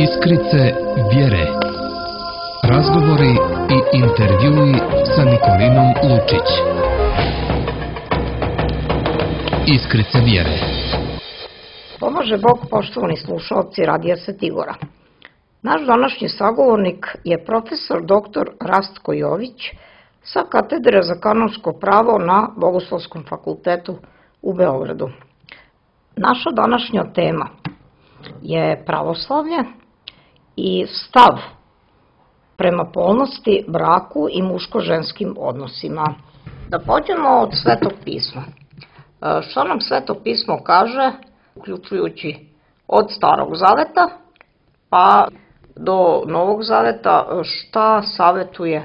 Iskrice vjere. Razgovori i intervjui sa Nikolinom Lučić. Iskrice vjere. Pomaže Bog, poštovani slušalci Radija Svetigora. Naš današnji sagovornik je profesor dr. Rastko Jović sa katedre za kanonsko pravo na Bogoslovskom fakultetu u Beogradu. Naša današnja tema je pravoslavlje i stav prema polnosti, braku i muško-ženskim odnosima. Da pođemo od Svetog pisma. Što nam Sveto pismo kaže, uključujući od Starog zaveta pa do Novog zaveta, šta savetuje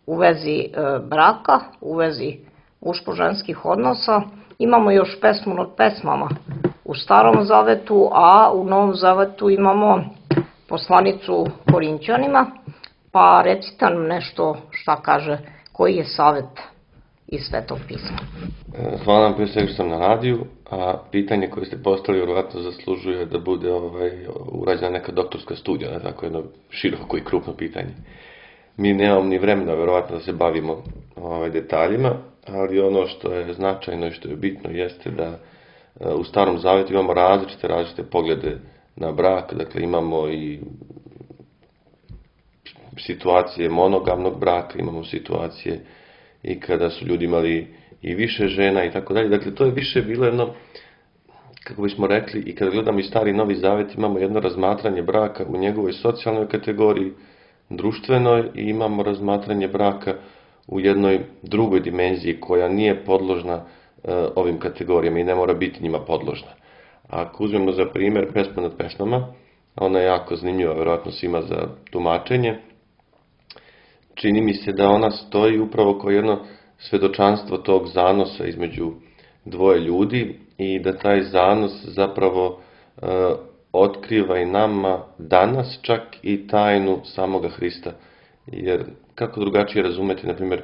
u vezi braka, u vezi muško-ženskih odnosa. Imamo još pesmu nad pesmama u Starom zavetu, a u Novom zavetu imamo poslanicu Korinćanima, pa recite nam nešto šta kaže, koji je savet iz Svetog pisma. Hvala vam prije svega što sam na radiju, a pitanje koje ste postavili vjerojatno zaslužuje da bude urađena neka doktorska studija, tako jedno široko i krupno pitanje. Mi nemamo ni vremena vjerojatno da se bavimo detaljima, ali ono što je značajno i što je bitno jeste da u Starom zavetu imamo različite poglede na brak, dakle imamo i situacije monogamnog braka, imamo situacije i kada su ljudi imali i više žena i tako dalje. Dakle, to je više bilo jedno, kako bismo rekli, i kada gledamo i Stari i Novi Zavet, imamo jedno razmatranje braka u njegovoj socijalnoj kategoriji, društvenoj, i imamo razmatranje braka u jednoj drugoj dimenziji koja nije podložna ovim kategorijama i ne mora biti njima podložna. Ako uzmemo za primjer pesmu nad pesmama, ona je jako zanimljiva, vjerojatno svima za tumačenje. Čini mi se da ona stoji upravo kao jedno svedočanstvo tog zanosa između dvoje ljudi i da taj zanos zapravo otkriva i nama danas čak i tajnu samoga Hrista. Jer kako drugačije razumeti, na primjer,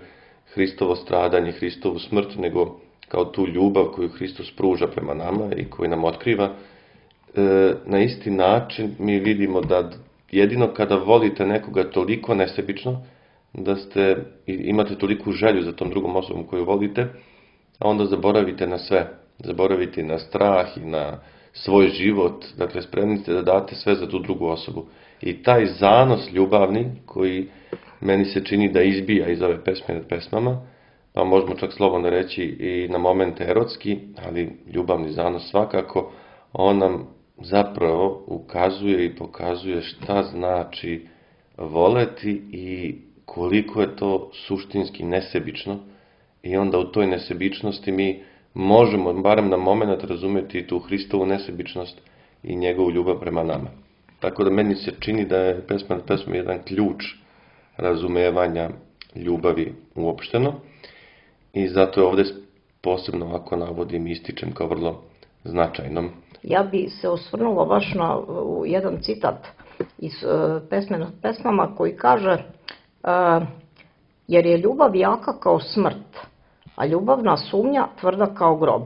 Hristovo stradanje, Hristovu smrt, nego kao tu ljubav koju Hristos pruža prema nama i koju nam otkriva. Na isti način mi vidimo da jedino kada volite nekoga toliko nesebično, da imate toliku želju za tom drugom osobom koju volite, a onda zaboravite na sve. Zaboravite na strah i na svoj život. Dakle, spremni ste da date sve za tu drugu osobu. I taj zanos ljubavni koji meni se čini da izbija iz ove pesme nad pesmama, pa možemo čak slobodno reći i na momente erotski, ali ljubavni zanos svakako, on nam zapravo ukazuje i pokazuje šta znači voleti i koliko je to suštinski nesebično. I onda u toj nesebičnosti mi možemo, barem na moment, razumjeti tu Hristovu nesebičnost i njegovu ljubav prema nama. Tako da meni se čini da je pesma nad pesmom jedan ključ razumevanja ljubavi uopšteno. I zato je ovdje posebno ovako navodim i ističem kao vrlo značajnom. Ja bi se osvrnula baš na jedan citat iz pesme nad pesmama koji kaže jer je ljubav jaka kao smrt, a ljubavna sumnja tvrda kao grob.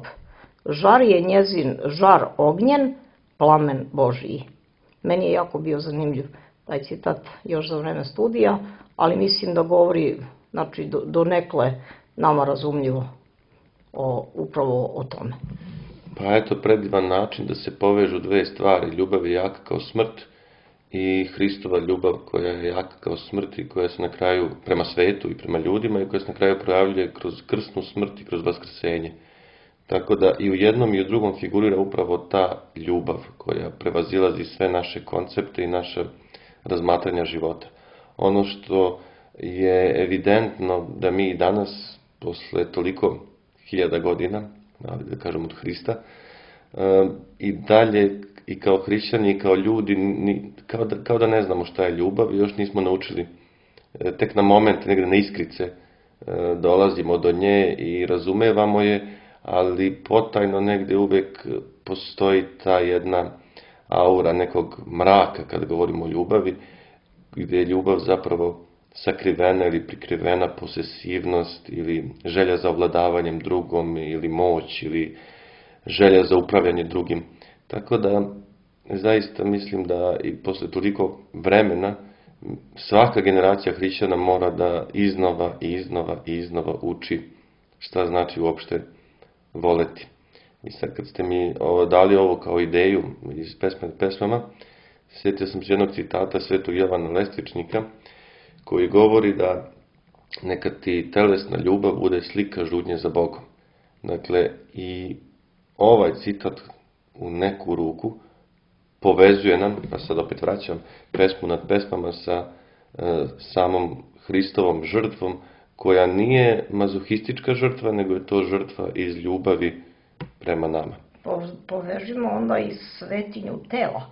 Žar je njezin žar ognjen, plamen Božiji. Meni je jako bio zanimljiv taj citat još za vreme studija, ali mislim da govori, znači, donekle nama razumljivo upravo o tome. Pa eto, predivan način da se povežu dve stvari. Ljubav je jaka kao smrt i Hristova ljubav koja je jaka kao smrt i koja se na kraju prema svetu i prema ljudima i koja se na kraju projavljuje kroz krsnu smrt i kroz vaskrsenje. Tako da i u jednom i u drugom figurira upravo ta ljubav koja prevazilazi sve naše koncepte i naše razmatranja života. Ono što je evidentno da mi danas, posle toliko hiljada godina, da kažem od Hrista, i dalje i kao hrišćani i kao ljudi, kao da ne znamo šta je ljubav i još nismo naučili. Tek na moment, negdje na iskrice, dolazimo do nje i razumevamo je, ali potajno negdje uvijek postoji ta jedna aura nekog mraka kad govorimo o ljubavi, gdje je ljubav zapravo sakrivena ili prikrivena posesivnost ili želja za ovladavanjem drugom ili moć ili želja za upravljanje drugim. Tako da zaista mislim da i posle toliko vremena svaka generacija hrišćana mora da iznova uči šta znači uopšte voleti. I sad kad ste mi dali ovo kao ideju iz pesmama, sjetio sam se jednog citata Svetog Jovana Lestvičnika, koji govori da neka ti telesna ljubav bude slika žudnje za Bogom. Dakle, i ovaj citat u neku ruku povezuje nam, pa sad opet vraćam pesmu nad pesmama sa samom Hristovom žrtvom, koja nije mazohistička žrtva, nego je to žrtva iz ljubavi prema nama. Povežimo onda i svetinju tela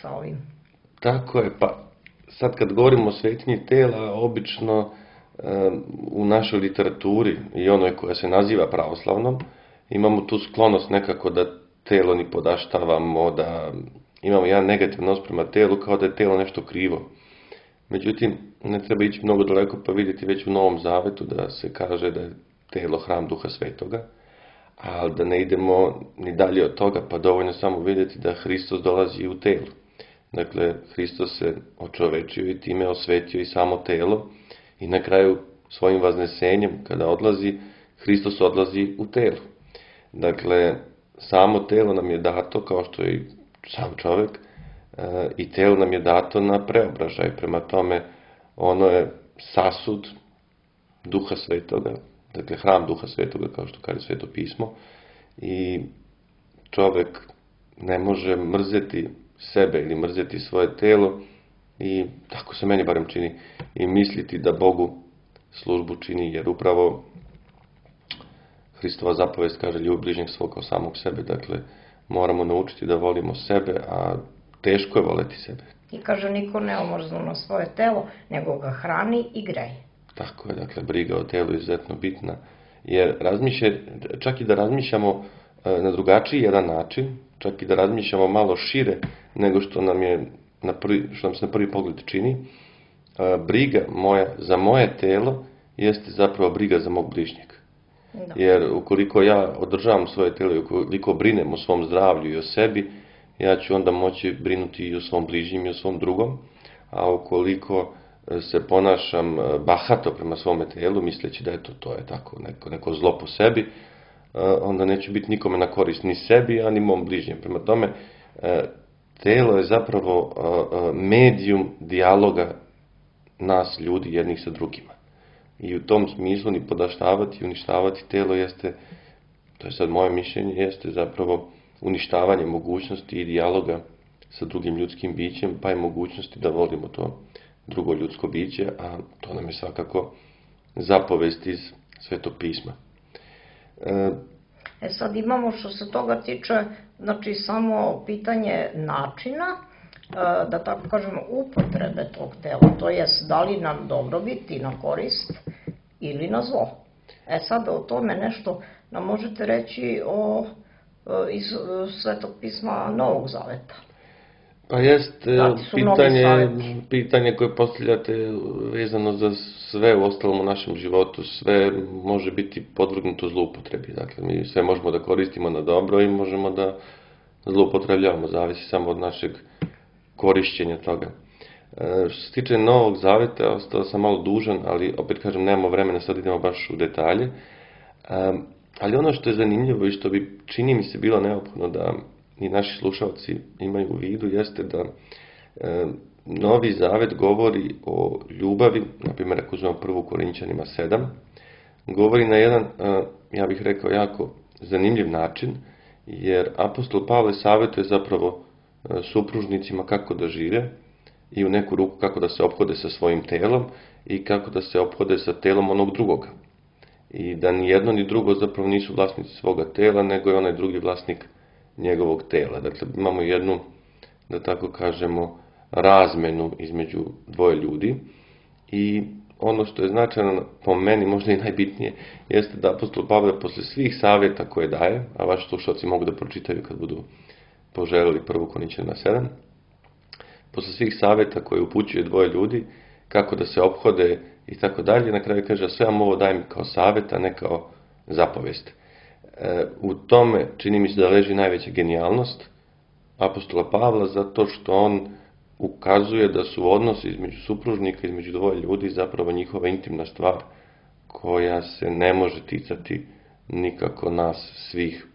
sa ovim. Tako je, pa sad kad govorimo o svetinji tela, obično u našoj literaturi i onoj koja se naziva pravoslavnom, imamo tu sklonost nekako da telo ni podaštavamo, da imamo jedan negativan odnos prema telu, kao da je telo nešto krivo. Međutim, ne treba ići mnogo daleko pa vidjeti već u Novom Zavetu da se kaže da je telo hram Duha Svetoga, ali da ne idemo ni dalje od toga, pa dovoljno samo vidjeti da Hristos dolazi u telu. Dakle, Hristos se očovečio i time osvetio i samo telo i na kraju svojim vaznesenjem, kada odlazi, Hristos odlazi u telu. Dakle, samo telo nam je dato, kao što je i sam čovjek, i telo nam je dato na preobražaj. Prema tome, ono je sasud Duha Svetoga, dakle hram Duha Svetoga, kao što kaže Sveto pismo, i čovjek ne može mrzeti sebe ili mrzeti svoje telo i, tako se meni barem čini, i misliti da Bogu službu čini, jer upravo Hristova zapovest kaže ljubi bližnjeg svog kao samog sebe. Dakle, moramo naučiti da volimo sebe, a teško je voleti sebe. I kaže, niko ne omrznu na svoje telo, nego ga hrani i greje. Tako je, dakle, briga o telu je izuzetno bitna, jer čak i da razmišljamo na drugačiji jedan način, čak i da razmišljamo malo šire nego što nam se na prvi pogled čini, briga moja za moje telo jeste zapravo briga za mog bližnjeg. Da. Jer ukoliko ja održavam svoje telo i ukoliko brinem o svom zdravlju i o sebi, ja ću onda moći brinuti i o svom bližnjim i o svom drugom, a ukoliko se ponašam bahato prema svome telu, misleći da to je tako neko zlo po sebi, onda neću biti nikome na korist, ni sebi, a ni mom bližnjem. Prema tome, telo je zapravo medijum dijaloga nas ljudi jednih sa drugima. I u tom smislu ni podaštavati i uništavati telo jeste, to je sad moje mišljenje, jeste zapravo uništavanje mogućnosti i dijaloga sa drugim ljudskim bićem, pa i mogućnosti da volimo to drugo ljudsko biće, a to nam je svakako zapovest iz Svetog pisma. Sad imamo, što se toga tiče, znači samo pitanje načina, da tako kažemo, upotrebe tog tela, to jest da li nam dobrobit i na korist ili na zlo. Sad o tome nešto nam možete reći iz Svetog pisma Novog Zaveta. Pa jest pitanje koje postavljate vezano za sve u ostalom u našem životu, sve može biti podvrgnuto zloupotrebi. Dakle, mi sve možemo da koristimo na dobro i možemo da zloupotrebljavamo, zavisi samo od našeg korišćenja toga. Što se tiče Novog Zaveta, ostao sam malo dužan, ali opet kažem, nemamo vremena, sad idemo baš u detalje. Ali ono što je zanimljivo i što bi, čini mi se, bilo neophodno da i naši slušalci imaju u vidu, jeste da Novi Zavet govori o ljubavi, na primjer ako uzmemo 1. Korinćanima 7, govori na jedan, ja bih rekao, jako zanimljiv način, jer apostol Pavle savjetuje zapravo supružnicima kako da žive i u neku ruku kako da se ophode sa svojim telom i kako da se ophode sa telom onog drugoga. I da ni jedno ni drugo zapravo nisu vlasnici svoga tela, nego je onaj drugi vlasnik njegovog tela. Dakle, imamo jednu, da tako kažemo, razmenu između dvoje ljudi i ono što je značajno po meni, možda i najbitnije, jeste da apostol Pavle posle svih savjeta koje daje, a vaši slušalci mogu da pročitaju kad budu poželjeli 1. Korinćanima 7, posle svih savjeta koje upućuje dvoje ljudi, kako da se ophode i tako dalje, na kraju kaže, sve vam ovo dajem kao savjet, a ne kao zapovest. U tome čini mi se da leži najveća genijalnost apostola Pavla zato što on ukazuje da su odnosi između supružnika, između dvoje ljudi zapravo njihova intimna stvar koja se ne može ticati nikako nas svih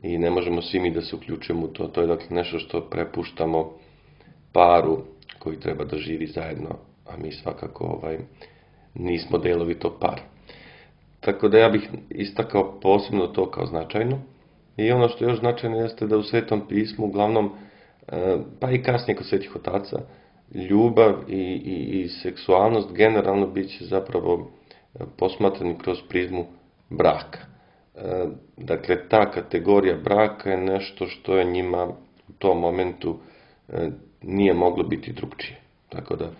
i ne možemo svi mi da se uključimo u to. To je dakle nešto što prepuštamo paru koji treba da živi zajedno, a mi svakako nismo delovi tog para. Tako da ja bih istakao posebno to kao značajno. I ono što je još značajno jeste da u Svetom pismu uglavnom, pa i kasnije kod svetih otaca, ljubav i seksualnost generalno bit će zapravo posmatrani kroz prizmu braka. Dakle, ta kategorija braka je nešto što je njima u tom momentu nije moglo biti drugčije. Tako da,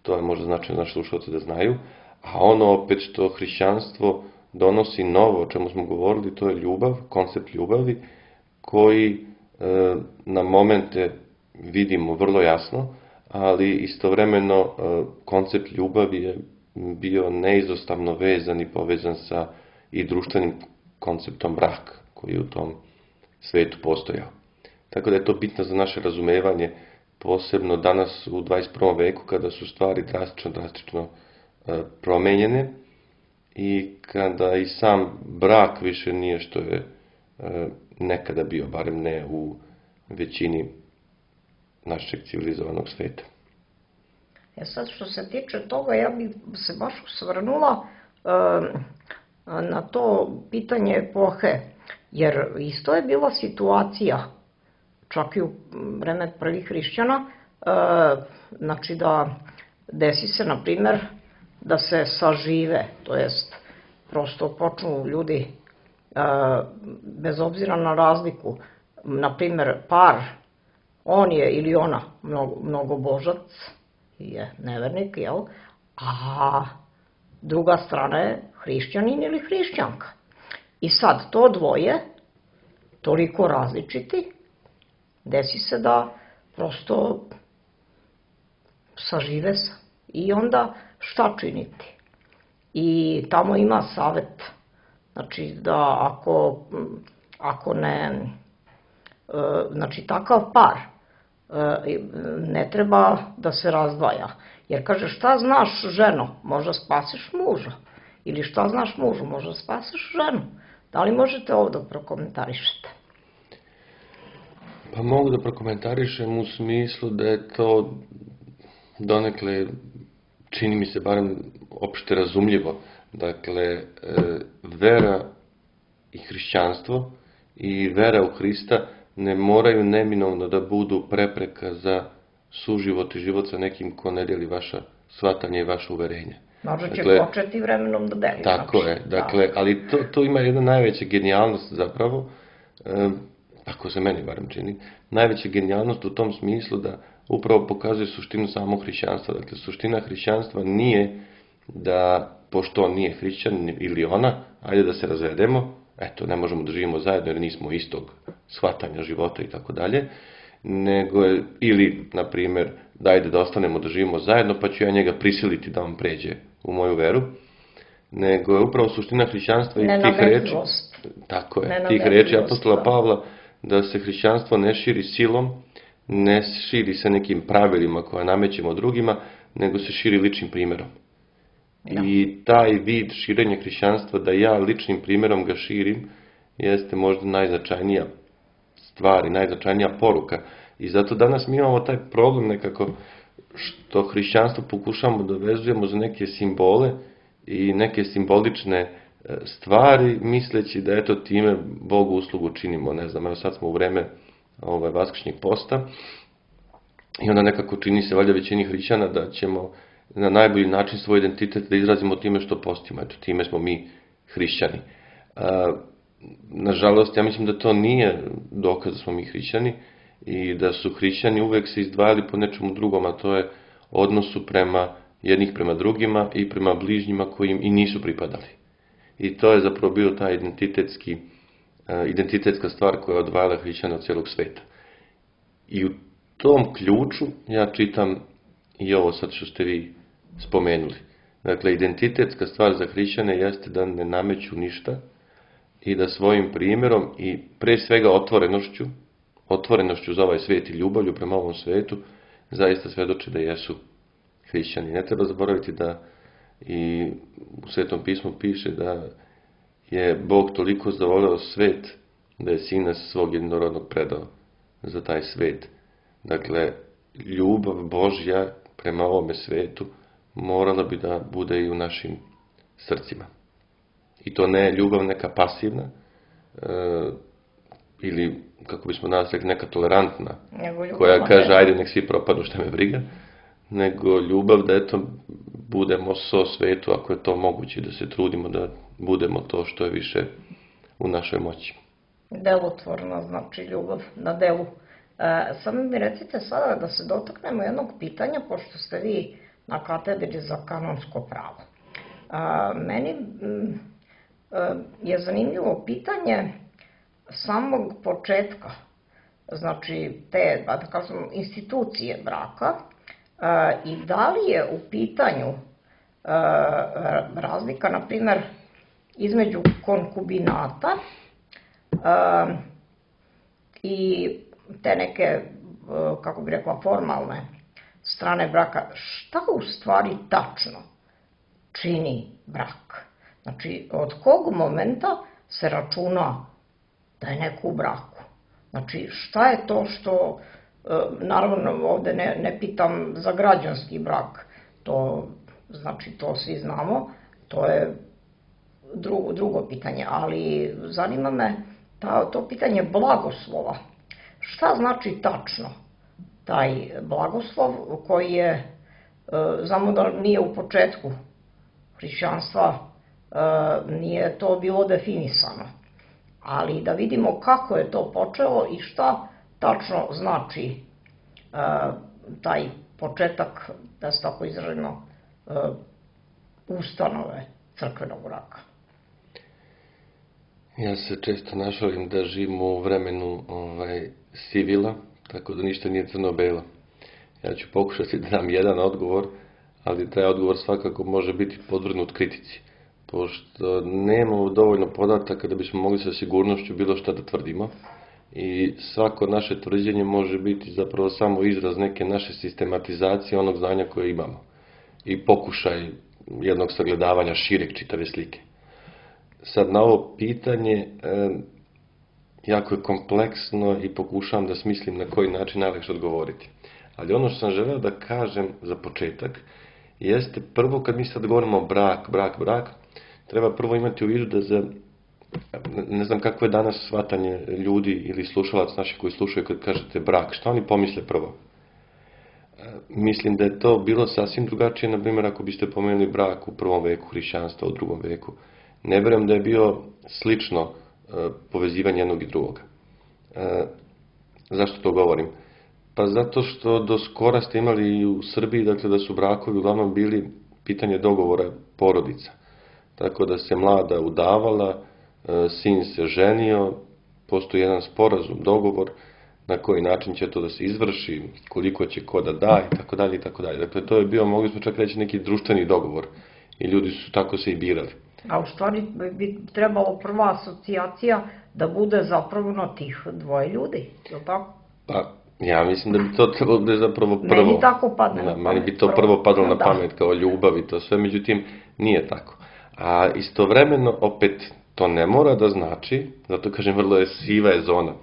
to je možda značajno naši slušalci da znaju. A ono opet što hrišćanstvo donosi novo, o čemu smo govorili, to je ljubav, koncept ljubavi, koji na momente vidimo vrlo jasno, ali istovremeno koncept ljubavi je bio neizostavno vezan i povezan sa i društvenim konceptom braka, koji je u tom svetu postojao. Tako da je to bitno za naše razumevanje, posebno danas u 21. veku, kada su stvari drastično promenjene i kada i sam brak više nije što je nekada bio, barem ne u većini našeg civilizovanog sveta. Sad što se tiče toga, ja bih se baš osvrnula na to pitanje epohe, jer isto je bila situacija, čak i u vreme prvih hrišćana, znači da desi se, na primer, da se sažive, to jest prosto počnu ljudi, bez obzira na razliku, na primer par, on je ili ona mnogobožac, je nevernik, jel? A druga strana je hrišćanin ili hrišćanka. I sad to dvoje, toliko različiti, desi se da prosto sažive se. I onda šta činiti? I tamo ima savet. Znači da ako ne, znači takav par ne treba da se razdvaja. Jer kaže, šta znaš ženo, možda spasiš muža. Ili šta znaš mužu, možda spasiš ženu. Da li možete ovo da prokomentarišete? Pa mogu da prokomentarišem u smislu da je to donekle, čini mi se barem opšte razumljivo. Dakle, vera i hrišćanstvo i vera u Hrista ne moraju neminovno da budu prepreka za suživot i život sa nekim ko ne deli vaša shvatanja i vaša uverenja. Možda će početi vremenom da deli. Tako je, dakle, ali to ima jedna najveća genijalnost zapravo, ako se meni barem čini, najveća genijalnost u tom smislu da upravo pokazuje suštinu samog hrišćanstva. Dakle, suština hrišćanstva nije da, pošto on nije hrišćan ili ona, ajde da se razvedemo, eto, ne možemo da živimo zajedno jer nismo istog shvatanja života i tako dalje, nego je, ili, na primjer, dajde da ostanemo da živimo zajedno, pa ću ja njega prisiliti da on pređe u moju veru, nego je upravo suština hrišćanstva i tih reči, tako je, tih reči apostola Pavla, da se hrišćanstvo ne širi silom, ne širi se nekim pravilima koje namećemo drugima, nego se širi ličnim primjerom. I taj vid širenja hrišćanstva, da ja ličnim primjerom ga širim, jeste možda najznačajnija stvar i najznačajnija poruka. I zato danas mi imamo taj problem nekako što hrišćanstvo pokušamo da vezujemo za neke simbole i neke simbolične stvari, misleći da eto time Bogu uslugu činimo. Ne znam, evo sad smo u vreme vaskršnjeg posta i onda nekako čini se valjda većini hrišćana da ćemo na najbolji način svoj identitet da izrazimo time što postimo. Eto, time smo mi hrišćani. Nažalost, ja mislim da to nije dokaz da smo mi hrišćani i da su hrišćani uvek se izdvajali po nečemu drugom, a to je odnosu prema jednih prema drugima i prema bližnjima koji im i nisu pripadali. I to je zapravo bio ta identitetska stvar koja je odvajala hrišćana od cijelog sveta. I u tom ključu ja čitam i ovo sad što ste vi spomenuli. Dakle, identitetska stvar za hrišćane jeste da ne nameću ništa i da svojim primjerom i pre svega otvorenošću, otvorenošću za ovaj svijet i ljubavlju prema ovom svijetu, zaista svedoče da jesu hrišćani. Ne treba zaboraviti da i u Svetom pismu piše da je Bog toliko zavoleo svet da je Sina svog jednorodnog predao za taj svet. Dakle, ljubav Božja prema ovome svetu morala bi da bude i u našim srcima. I to ne ljubav neka pasivna, ili, kako bismo danas rekli, neka tolerantna, koja kaže, ajde, nek svi propadnu, šta me briga, nego ljubav da, eto, budemo so svetu, ako je to moguće, da se trudimo da budemo to što je više u našoj moći. Delotvorna, znači ljubav na delu. Samo mi recite sada da se dotaknemo jednog pitanja, pošto ste vi na katedri za kanonsko pravo. Meni je zanimljivo pitanje samog početka, znači te, da kažem, institucije braka, i da li je u pitanju razlika, na primjer, između konkubinata i te neke, kako bi rekla, formalne strane braka. Šta u stvari tačno čini brak? Znači, od kog momenta se računa da je neko u braku? Znači, šta je to što, naravno ovde ne pitam za građanski brak, to, znači, to svi znamo, to je drugo pitanje, ali zanima me to pitanje blagoslova. Šta znači tačno taj blagoslov koji je, znamo da nije u početku hrišćanstva, nije to bilo definisano, ali da vidimo kako je to počelo i šta tačno znači taj početak, da se tako izraženo, ustanove crkvenog braka. Ja se često našalim da živimo u vremenu sivila, tako da ništa nije crno-belo. Ja ću pokušati da dam jedan odgovor, ali taj odgovor svakako može biti podvrgnut kritici, pošto nemamo dovoljno podataka da bismo mogli sa sigurnošću bilo šta da tvrdimo i svako naše tvrđenje može biti zapravo samo izraz neke naše sistematizacije onog znanja koje imamo i pokušaj jednog sagledavanja šireg čitave slike. Sad, na ovo pitanje jako je kompleksno i pokušavam da smislim na koji način najlakše odgovoriti. Ali ono što sam želeo da kažem za početak jeste prvo, kad mi sad govorimo brak, treba prvo imati u vidu da ne znam kako je danas shvatanje ljudi ili slušalac naših koji slušaju kad kažete brak, šta oni pomisle prvo? Mislim da je to bilo sasvim drugačije, na primjer, ako biste pomenuli brak u prvom veku hrišćanstva, u drugom veku. Ne vjerujem da je bio slično povezivanje jednog i drugoga. Zašto to govorim? Pa zato što do skora ste imali i u Srbiji, dakle, da su brakovi uglavnom bili pitanje dogovora porodica. Tako da se mlada udavala, sin se ženio, postoji jedan sporazum, dogovor, na koji način će to da se izvrši, koliko će ko da da, i tako dalje, i tako dalje. Dakle, to je bio, mogli smo čak reći, neki društveni dogovor. I ljudi su tako se i birali. A u stvari bi trebalo prva asocijacija da bude zapravo na tih dvoje ljudi, je li tako? Pa, ja mislim da bi to trebalo da je zapravo prvo. Meni tako padne na pamet. Meni bi to prvo padalo na pamet kao ljubav i to sve, međutim, nije tako. A istovremeno, opet, to ne mora da znači, zato kažem, vrlo je siva je zona,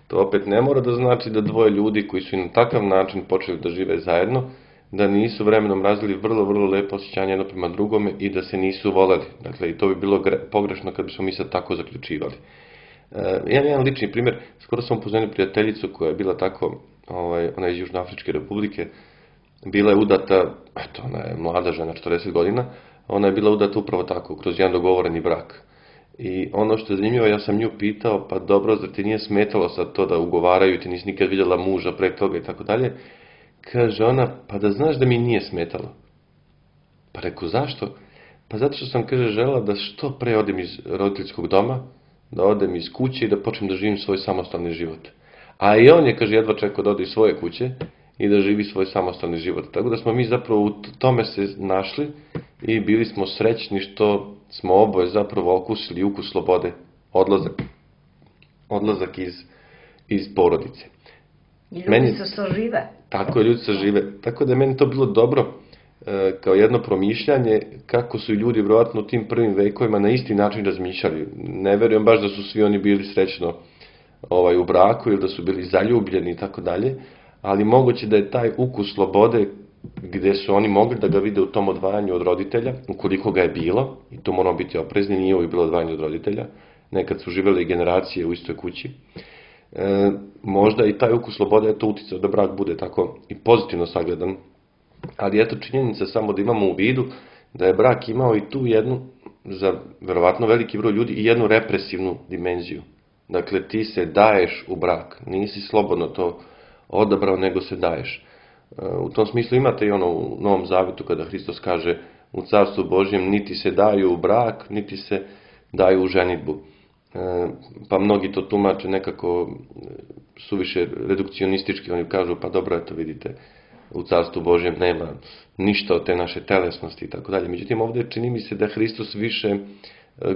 to opet ne mora da znači da dvoje ljudi koji su i na takav način počeli da žive zajedno, da nisu vremenom razvili vrlo, vrlo lepo osjećanje jedno prema drugome i da se nisu voleli. Dakle, i to bi bilo pogrešno kad bismo mi sad tako zaključivali. Jedan lični primjer, skoro sam upoznao prijateljicu koja je bila tako, ona je iz Južnoafričke republike, bila je udata, eto, ona je mlada žena, 40 godina, ona je bila udata upravo tako, kroz jedan dogovoreni brak. I ono što je zanimljivo, ja sam nju pitao, pa dobro, zar ti nije smetalo sad to da ugovaraju, ti nisi nikad vidjela muža pre toga i tako dalje? Kaže ona, pa da znaš da mi nije smetalo. Pa reku, zašto? Pa zato što sam, kaže, žela da što pre odem iz roditeljskog doma, da odem iz kuće i da počnem da živim svoj samostalni život. A i on je, kaže, jedva čekao da ode iz svoje kuće i da živi svoj samostalni život. Tako da smo mi zapravo u tome se našli i bili smo srećni što smo oboje zapravo okusili ukus slobode, odlazak iz porodice. I ljudi se sažive. Tako je, ljudi se žive. Tako da je meni to bilo dobro kao jedno promišljanje kako su ljudi vjerojatno u tim prvim vekovima na isti način razmišljali. Ne verujem baš da su svi oni bili srećno u braku ili da su bili zaljubljeni i tako dalje, ali moguće da je taj ukus slobode gdje su oni mogli da ga vide u tom odvajanju od roditelja, ukoliko ga je bilo, i to moramo biti oprezni, nije uvijek bilo odvajanje od roditelja, nekad su živjeli generacije u istoj kući, možda i taj ukus slobode je to uticao da brak bude tako i pozitivno sagledan. Ali eto činjenica samo da imamo u vidu da je brak imao i tu jednu, za verovatno veliki broj ljudi, i jednu represivnu dimenziju. Dakle, ti se daješ u brak, nisi slobodno to odabrao, nego se daješ. U tom smislu imate i ono u Novom Zavetu kada Hristos kaže u Carstvu Božjem niti se daju u brak, niti se daju u ženidbu. Pa mnogi to tumače nekako suviše redukcionistički, oni kažu pa dobro, eto vidite, u Carstvu Božjem nema ništa od te naše telesnosti i tako dalje. Međutim, ovdje čini mi se da Hristos više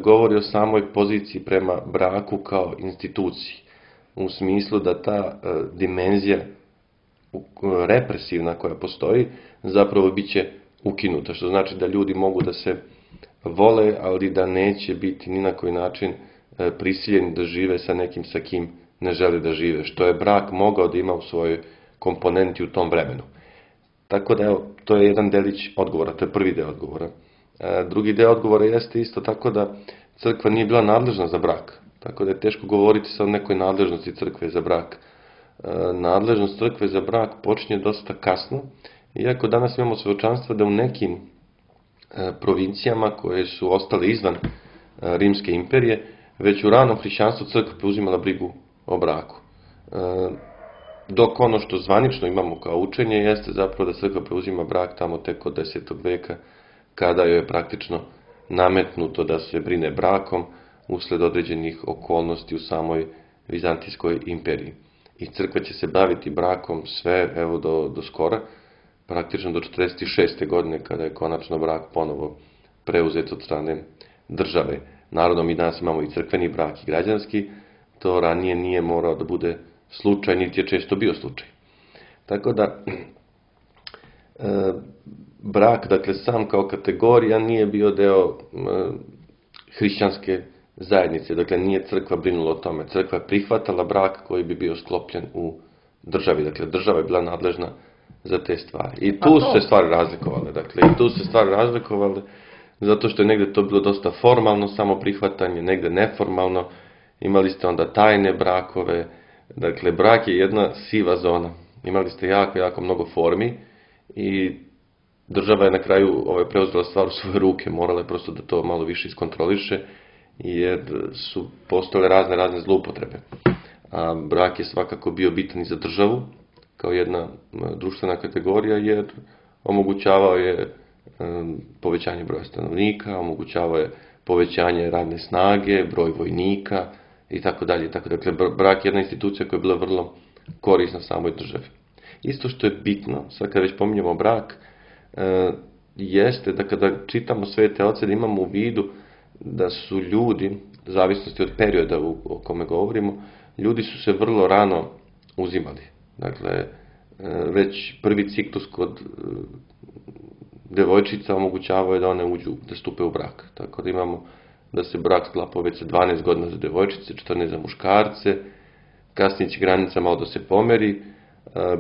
govori o samoj poziciji prema braku kao instituciji. U smislu da ta dimenzija represivna koja postoji zapravo bit će ukinuta. Što znači da ljudi mogu da se vole, ali da neće biti ni na koji način prisiljeni da žive sa nekim sa kim ne žele da žive. Što je brak mogao da ima u svojoj komponenti u tom vremenu. Tako da evo, to je jedan delić odgovora, to je prvi deo odgovora. Drugi deo odgovora jeste isto tako da crkva nije bila nadležna za brak. Tako da je teško govoriti sa o nekoj nadležnosti crkve za brak. Nadležnost crkve za brak počinje dosta kasno, iako danas imamo svedočanstva da u nekim provincijama koje su ostale izvan Rimske imperije, već u ranom hrišćanstvu crkva preuzimala brigu o braku. Dok ono što zvanično imamo kao učenje jeste zapravo da crkva preuzima brak tamo tek od 10. veka, kada joj je praktično nametnuto da se brine brakom usled određenih okolnosti u samoj Vizantijskoj imperiji. I crkva će se baviti brakom sve, evo do skora, praktično do 46. godine, kada je konačno brak ponovo preuzet od strane države. Naravno, mi danas imamo i crkveni brak i građanski, to ranije nije morao da bude slučaj, niti je često bio slučaj. Tako da, brak, dakle, sam kao kategorija nije bio deo hrišćanske zajednice, dakle, nije crkva brinula o tome. Crkva je prihvatala brak koji bi bio sklopljen u državi, dakle, država je bila nadležna za te stvari. I tu su se stvari razlikovale, zato što je negdje to bilo dosta formalno, samo prihvatanje, negdje neformalno, imali ste onda tajne brakove, dakle, brak je jedna siva zona. Imali ste jako, jako mnogo formi i država je na kraju preuzela stvar u svoje ruke, morala je prosto da to malo više iskontroliše, jer su postojale razne zloupotrebe. A brak je svakako bio bitan i za državu, kao jedna društvena kategorija, jer omogućavao je povećanje broja stanovnika, omogućavao je povećanje radne snage, broj vojnika i tako dalje. Dakle, brak je jedna institucija koja je bila vrlo korisna samoj državi. Isto što je bitno, sad kad već pominjamo brak, jeste da kada čitamo Svete oce da imamo u vidu da su ljudi, u zavisnosti od perioda o kome govorimo, ljudi su se vrlo rano uzimali. Dakle, već prvi ciklus kod devojčica omogućavao je da one uđu, da stupe u brak. Tako da imamo da se brak sklapao već sa 12 godina za devojčice, 14 za muškarce, kasnije će granica malo da se pomeri,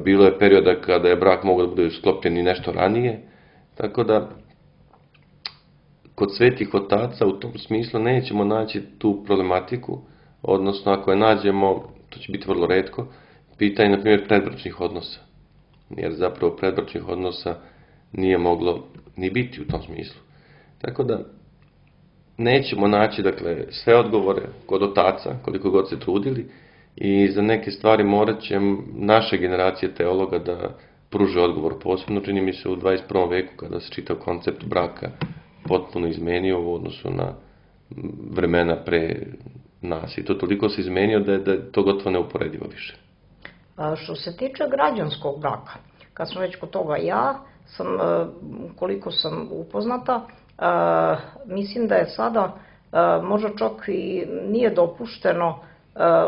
bilo je perioda kada je brak mogao da bude sklopljen i nešto ranije, tako da kod svetih otaca u tom smislu nećemo naći tu problematiku, odnosno ako je nađemo, to će biti vrlo retko, pitanje, na primjer, predbračnih odnosa. Jer zapravo predbračnih odnosa nije moglo ni biti u tom smislu. Tako da nećemo naći, dakle, sve odgovore kod otaca, koliko god se trudili, i za neke stvari morat će naše generacije teologa da pruže odgovor. Posebno čini mi se u 21. veku kada se čitav koncept braka potpuno izmenio u odnosu na vremena pre nas. I to toliko se izmenio da je to gotovo neuporedivo više. Što se tiče građanskog braka, kad smo već kod toga, ja sam, koliko sam upoznata, mislim da je sada možda čak i nije dopušteno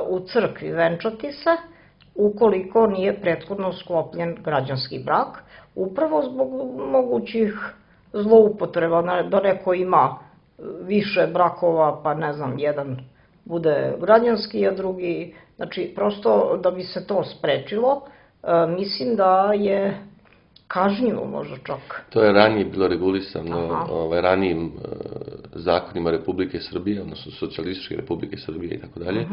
u crkvi venčati se, ukoliko nije prethodno sklopljen građanski brak, upravo zbog mogućih zloupotreba, da neko ima više brakova, pa ne znam, jedan bude građanski, a drugi, znači prosto da bi se to sprečilo, mislim da je kažnjivo možda čak. To je ranije bilo regulisano ranijim zakonima Republike Srbije, odnosno Socijalističke Republike Srbije i tako dalje.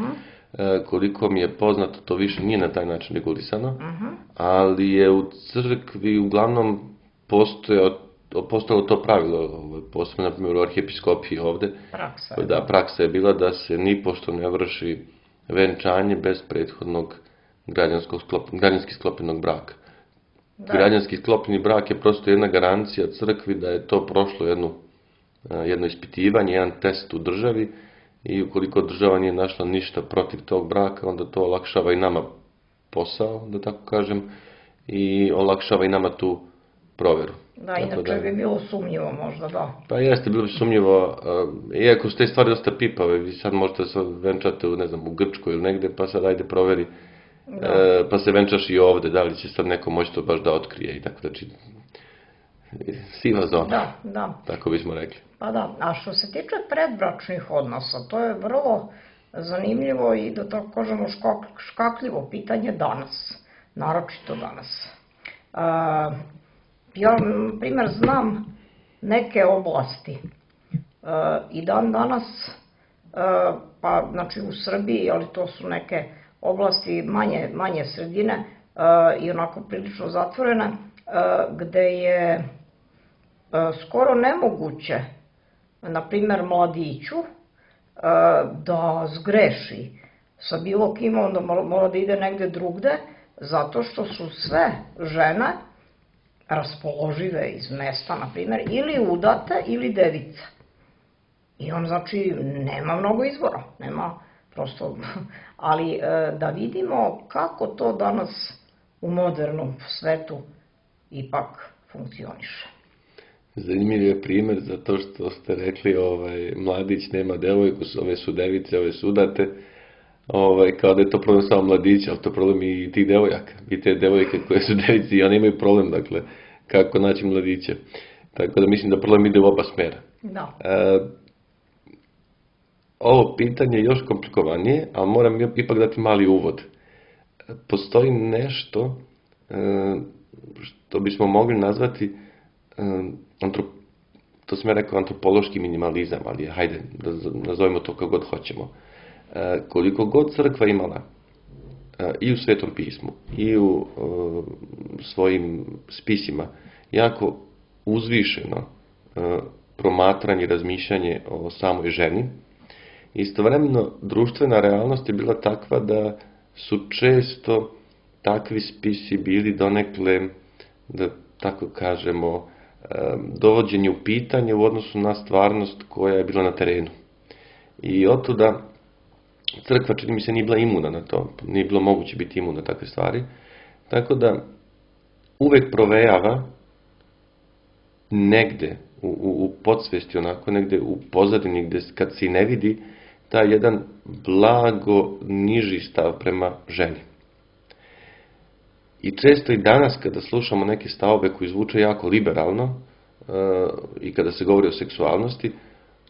Koliko mi je poznato, to više nije na taj način regulisano, ali je u crkvi uglavnom postojalo to pravilo, posebno na primjer u arhijepiskopiji ovde. Praksa je bila da se nipošto ne vrši venčanje bez prethodnog građanski sklopljenog braka. Građanski sklopljeni brak je prosto jedna garancija crkvi da je to prošlo jedno ispitivanje, jedan test u državi i ukoliko država nije našla ništa protiv tog braka, onda to olakšava i nama posao, da tako kažem, i olakšava i nama tu proveru. Da, inače bi bilo sumnjivo možda, da. Pa jeste, bilo bi sumnjivo, iako su te stvari dosta pipave, vi sad možete se venčati u Grčkoj ili negde, pa sad ajde proveri, pa se venčaš i ovde, da li će sad neko moći to baš da otkrije i tako, znači, siva zona, tako bismo rekli. Pa da, a što se tiče predbračnih odnosa, to je vrlo zanimljivo i da tako kažemo škakljivo pitanje danas, naročito danas. Ja, na primjer, znam neke oblasti i dan danas, pa znači u Srbiji, ali to su neke oblasti manje sredine i onako prilično zatvorene, gde je skoro nemoguće, na primjer, mladiću da zgreši sa bilo kim, onda mora da ide negde drugde, zato što su sve žene raspoložive iz mesta, na primjer, ili udate ili device. I on, znači, nema mnogo izbora, nema prosto, ali da vidimo kako to danas u modernom svetu ipak funkcioniše. Zanimljiv je primjer zato što ste rekli mladić nema devojku, ove su device, ove su udate, kao da je to problem samo mladića, ali to je problem i tih devojaka. I te devojke koje su devici i one imaju problem, dakle, kako naći mladiće. Tako da mislim da problem ide u oba smjera. Da. Ovo pitanje je još komplikovanije, ali moram ipak dati mali uvod. Postoji nešto što bismo mogli nazvati, to sam ja rekao, antropološki minimalizam, ali hajde, nazovimo to kako god hoćemo. Koliko god crkva imala i u Svetom pismu i u svojim spisima jako uzvišeno promatranje i razmišljanje o samoj ženi, istovremeno društvena realnost je bila takva da su često takvi spisi bili donekle, da tako kažemo, dovođenje u pitanje u odnosu na stvarnost koja je bila na terenu. I otuda crkva, čini mi se, nije bila imuna na to, nije bilo moguće biti imuna na takve stvari, tako da uvek provejava negde u podsvesti, onako negde u pozadini, gde kad se ne vidi taj jedan blago niži stav prema ženi. I često i danas kada slušamo neke stavove koji zvuče jako liberalno i kada se govori o seksualnosti,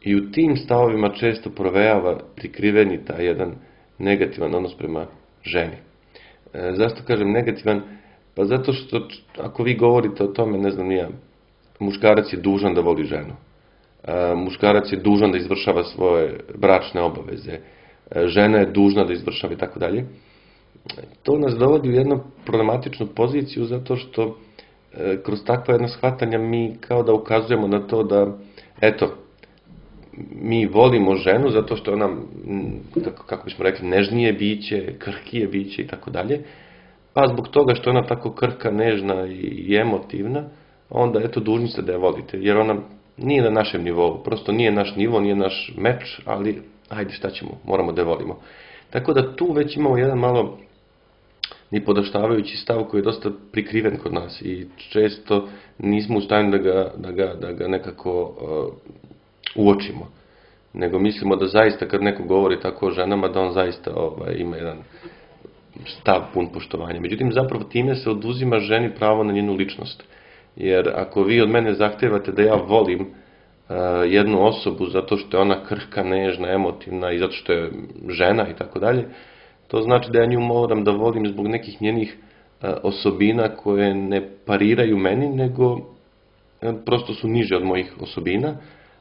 i u tim stavovima često provejava prikriveni taj jedan negativan odnos prema ženi. Zašto kažem negativan? Pa zato što ako vi govorite o tome, ne znam nija, muškarac je dužan da voli ženu. Muškarac je dužan da izvršava svoje bračne obaveze. Žena je dužna da izvršava i tako dalje. To nas dovodi u jednu problematičnu poziciju zato što kroz takva jedna shvatanja mi kao da ukazujemo na to da, eto, mi volimo ženu zato što ona, kako bismo rekli, nežnije biće, krhkije biće i tako dalje, pa zbog toga što ona tako krhka, nežna i emotivna, onda eto dužni ste da je volite, jer ona nije na našem nivou, prosto nije naš nivo, nije naš meč, ali ajde šta ćemo, moramo da je volimo. Tako da tu već imamo jedan malo nipodaštavajući stav koji je dosta prikriven kod nas i često nismo u stanju da ga nekako uočimo. Nego mislimo da zaista kad neko govori tako o ženama, da on zaista ima jedan stav pun poštovanja. Međutim, zapravo time se oduzima ženi pravo na njenu ličnost. Jer ako vi od mene zahtevate da ja volim jednu osobu zato što je ona krhka, nežna, emotivna i zato što je žena i tako dalje, to znači da ja nju moram da volim zbog nekih njenih osobina koje ne pariraju meni, nego prosto su niže od mojih osobina,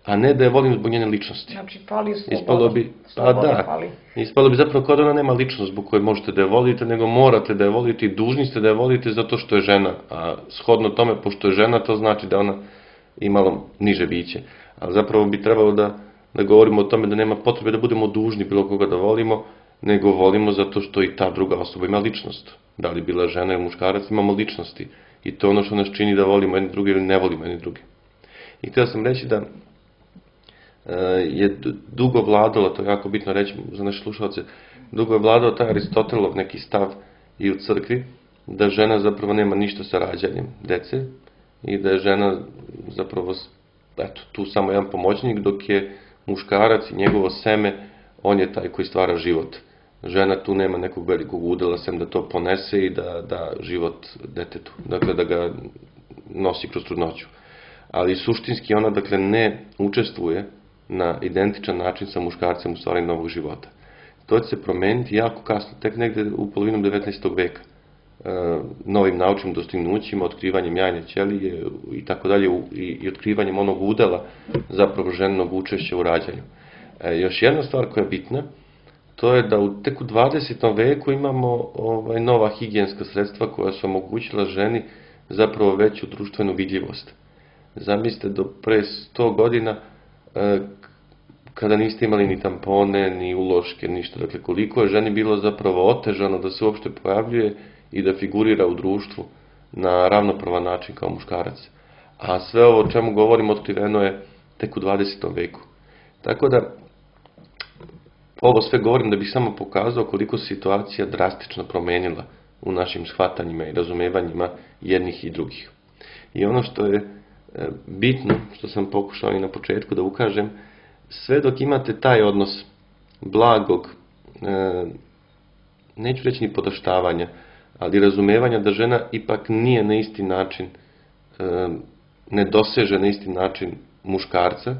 a ne da je volim zbog njene ličnosti. Znači, fali sloboda. Ispalo bi zapravo kao da ona nema ličnost zbog koje možete da je volite, nego morate da je volite i dužni ste da je volite zato što je žena. A shodno tome, pošto je žena, to znači da ona imalo niže biće. A zapravo bi trebalo da govorimo o tome da nema potrebe da budemo dužni bilo koga da volimo, nego volimo zato što i ta druga osoba ima ličnost. Da li bila žena ili muškarac, imamo ličnosti. I to je ono što nas čini da volimo jedni drugi ili ne volimo jedni drugi. I htio sam reći da je dugo vladalo, to je jako bitno reći za naše slušalce, dugo je vladao taj Aristotelov neki stav i u crkvi, da žena zapravo nema ništa sa rađanjem dece i da je žena zapravo tu samo jedan pomoćnik, dok je muškarac i njegovo seme, on je taj koji stvara život. Žena tu nema nekog velikog udela, sem da to ponese i da da život detetu, dakle da ga nosi kroz trudnoću. Ali suštinski ona, dakle, ne učestvuje na identičan način sa muškarcem u stvaranju novog života. To će se promeniti jako kasno, tek negde u polovinom 19. veka. Novim naučnim dostignućima, otkrivanjem jajne ćelije i tako dalje, i otkrivanjem onog udela zapravo ženog učešća u rađanju. Još jedna stvar koja je bitna, to je da tek u 20. veku imamo nova higijenska sredstva koja su omogućila ženi zapravo veću društvenu vidljivost. Zamislite, do pre 100 godina, kada niste imali ni tampone, ni uloške, ništa. Dakle, koliko je ženi bilo zapravo otežano da se uopšte pojavljuje i da figurira u društvu na ravnopravan način kao muškarac. A sve ovo o čemu govorim otkriveno je tek u 20. veku. Tako da, ovo sve govorim da bih samo pokazao koliko se situacija drastično promenila u našim shvatanjima i razumevanjima jednih i drugih. I ono što je bitno, što sam pokušao i na početku da ukažem, sve dok imate taj odnos blagog, neću reći ni podaštavanja, ali razumevanja da žena ipak nije na isti način, ne doseže na isti način muškarca,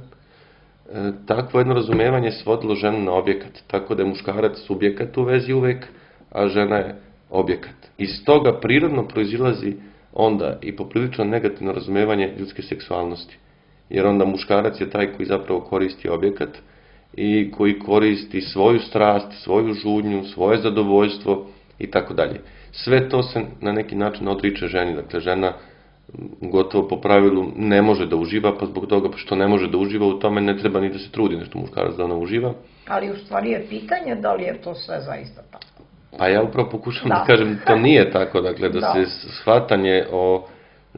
takvo jedno razumevanje svodilo ženu na objekat, tako da je muškarac subjekat u vezi uvek, a žena je objekat. Iz toga prirodno proizilazi onda i poprilično negativno razumevanje ljudske seksualnosti. Jer onda muškarac je taj koji zapravo koristi objekat i koji koristi svoju strast, svoju žudnju, svoje zadovoljstvo i tako dalje. Sve to se na neki način odriče ženi. Dakle, žena gotovo po pravilu ne može da uživa, pa zbog toga što ne može da uživa u tome ne treba ni da se trudi nešto muškarac da ona uživa. Ali u stvari je pitanje da li je to sve zaista tako. Pa ja upravo pokušam da kažem to nije tako, dakle da se shvatanje o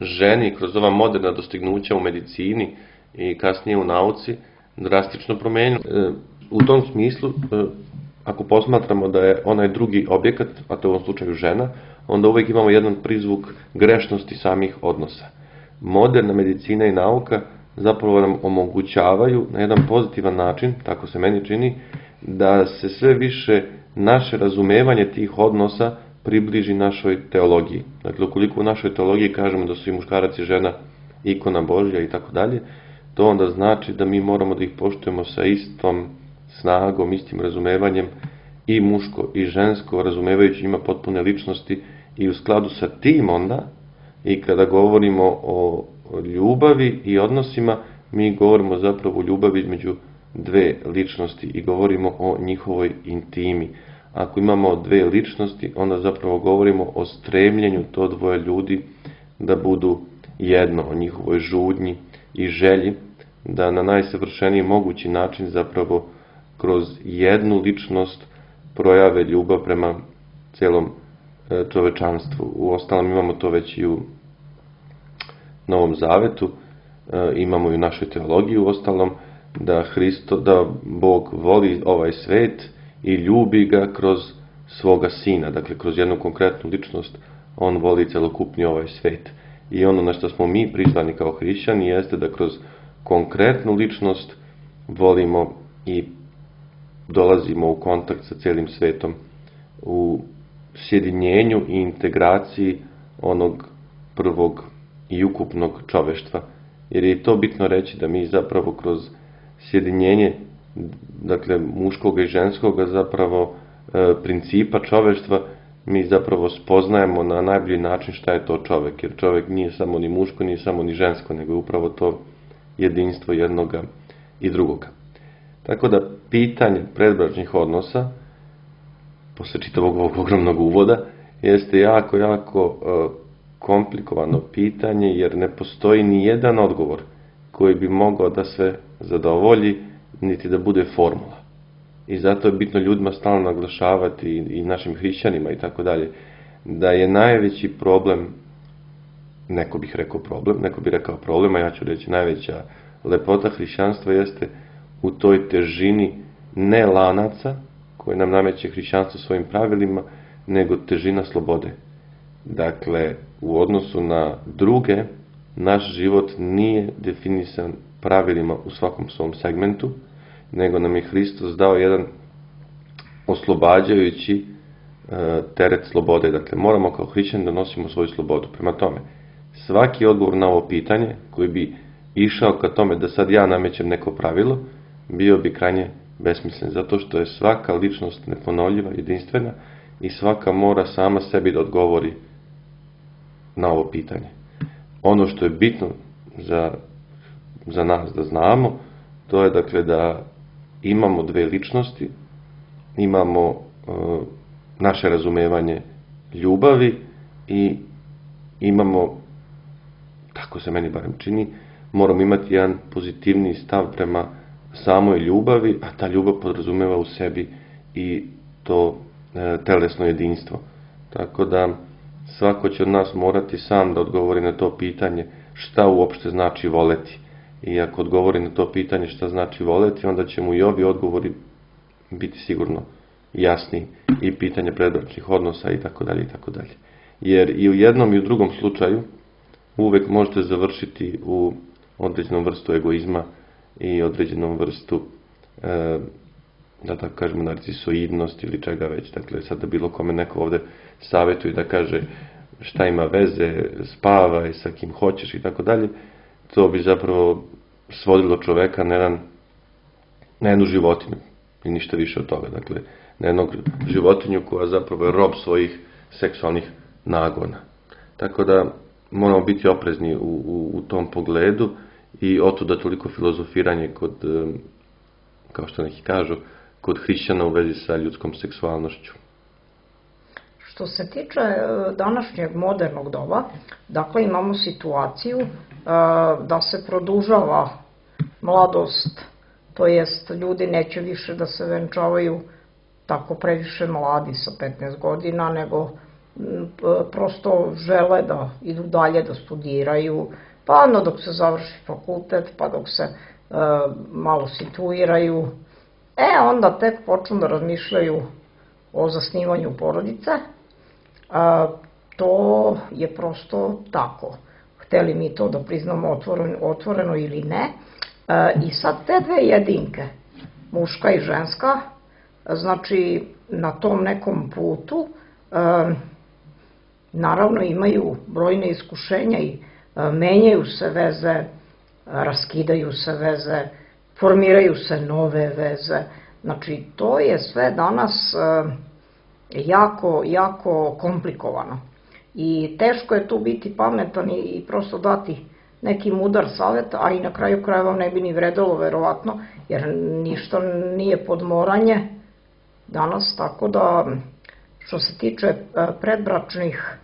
ženi kroz ova moderna dostignuća u medicini i kasnije u nauci drastično promenilo. U tom smislu, ako posmatramo da je onaj drugi objekat, a to je u ovom slučaju žena, onda uvijek imamo jedan prizvuk grešnosti samih odnosa. Moderna medicina i nauka zapravo nam omogućavaju na jedan pozitivan način, tako se meni čini, da se sve više naše razumevanje tih odnosa približi našoj teologiji. Dakle, ukoliko u našoj teologiji kažemo da su i muškarac i žena ikona Božja i tako dalje, to onda znači da mi moramo da ih poštujemo sa istom snagom, istim razumevanjem, i muško i žensko, razumevajući ima potpune ličnosti, i u skladu sa tim onda, i kada govorimo o ljubavi i odnosima, mi govorimo zapravo o ljubavi između dve ličnosti i govorimo o njihovoj intimi. Ako imamo dve ličnosti, onda zapravo govorimo o stremljenju to dvoje ljudi da budu jedno, o njihovoj žudnji i želji, da na najsavršeniji mogući način zapravo kroz jednu ličnost projave ljubav prema celom čovečanstvu. Uostalom imamo to već i u Novom Zavetu, imamo i u našoj teologiji uostalom, da Bog voli ovaj svet i ljubi ga kroz svoga sina, dakle kroz jednu konkretnu ličnost on voli celokupni ovaj svet. I ono na što smo mi prizvani kao hrišćani jeste da kroz konkretnu ličnost volimo i dolazimo u kontakt sa celim svetom u sjedinjenju i integraciji onog prvog i ukupnog čoveštva. Jer je to bitno reći da mi zapravo kroz sjedinjenje, dakle muškog i ženskog zapravo principa čoveštva, mi zapravo spoznajemo na najbolji način šta je to čovek. Jer čovek nije samo ni muško, nije samo ni žensko, nego je upravo to jedinstvo jednoga i drugoga. Tako da pitanje predbračnih odnosa, posle čitavog ovog ogromnog uvoda, jeste jako komplikovano pitanje, jer ne postoji ni jedan odgovor koji bi mogao da sve zadovolji, niti da bude formula. I zato je bitno ljudima stalno naglašavati i našim hrišćanima i tako dalje, da je najveći problem, neko bih rekao problem, a ja ću reći najveća lepota hrišćanstva jeste u toj težini ne lanaca koje nam nameće hrišćanstvo svojim pravilima, nego težina slobode. Dakle, u odnosu na druge, naš život nije definisan pravilima u svakom svom segmentu, nego nam je Hristos dao jedan oslobađajući teret slobode. Dakle, moramo kao hrišćani da nosimo svoju slobodu. Prema tome, svaki odgovor na ovo pitanje koji bi išao ka tome da sad ja namećem neko pravilo, bio bi krajnje besmislen, zato što je svaka ličnost neponovljiva, jedinstvena i svaka mora sama sebi da odgovori na ovo pitanje. Ono što je bitno za nas da znamo, to je dakle da imamo dve ličnosti, imamo naše razumevanje ljubavi i imamo, tako se meni barem čini, moramo imati jedan pozitivni stav prema samoj ljubavi, a ta ljubav podrazumeva u sebi i to telesno jedinstvo. Tako da svako će od nas morati sam da odgovori na to pitanje šta uopšte znači voleti. I ako odgovori na to pitanje šta znači voleti, onda će mu i ovi odgovori biti sigurno jasni, i pitanje predbračnih odnosa i tako dalje i tako dalje. Jer i u jednom i u drugom slučaju uvek možete završiti u određenom vrstu egoizma i određenom vrstu, da tako kažemo, narcisoidnosti ili čega već. Dakle, sad da bilo kome neko ovde savjetuje da kaže šta ima veze, spavaj sa kim hoćeš i tako dalje, to bi zapravo svodilo čoveka na jednu životinju i ništa više od toga. Dakle, na jednog životinju koja zapravo je rob svojih seksualnih nagona. Tako da moramo biti oprezni u tom pogledu i otuda toliko filozofiranje kod, kao što neki kažu, kod hrišćana u vezi sa ljudskom seksualnošću. Što se tiče današnjeg modernog doba, dakle imamo situaciju da se produžava mladost, to jest ljudi neće više da se venčavaju tako previše mladi sa 15 godina, nego prosto žele da idu dalje, da studiraju, pa onda dok se završi fakultet, pa dok se malo situiraju, onda tek počnu da razmišljaju o zasnivanju porodice. To je prosto tako. Hteli mi to da priznamo otvoreno ili ne. I sad te dve jedinke, muška i ženska, znači na tom nekom putu, naravno imaju brojne iskušenja i menjaju se veze, raskidaju se veze, formiraju se nove veze. Znači, to je sve danas jako komplikovano. I teško je tu biti pametan i prosto dati neki mudar savjet, a i na kraju krajeva ne bi ni vredelo verovatno, jer ništa nije podmoranje danas, tako da što se tiče predbračnih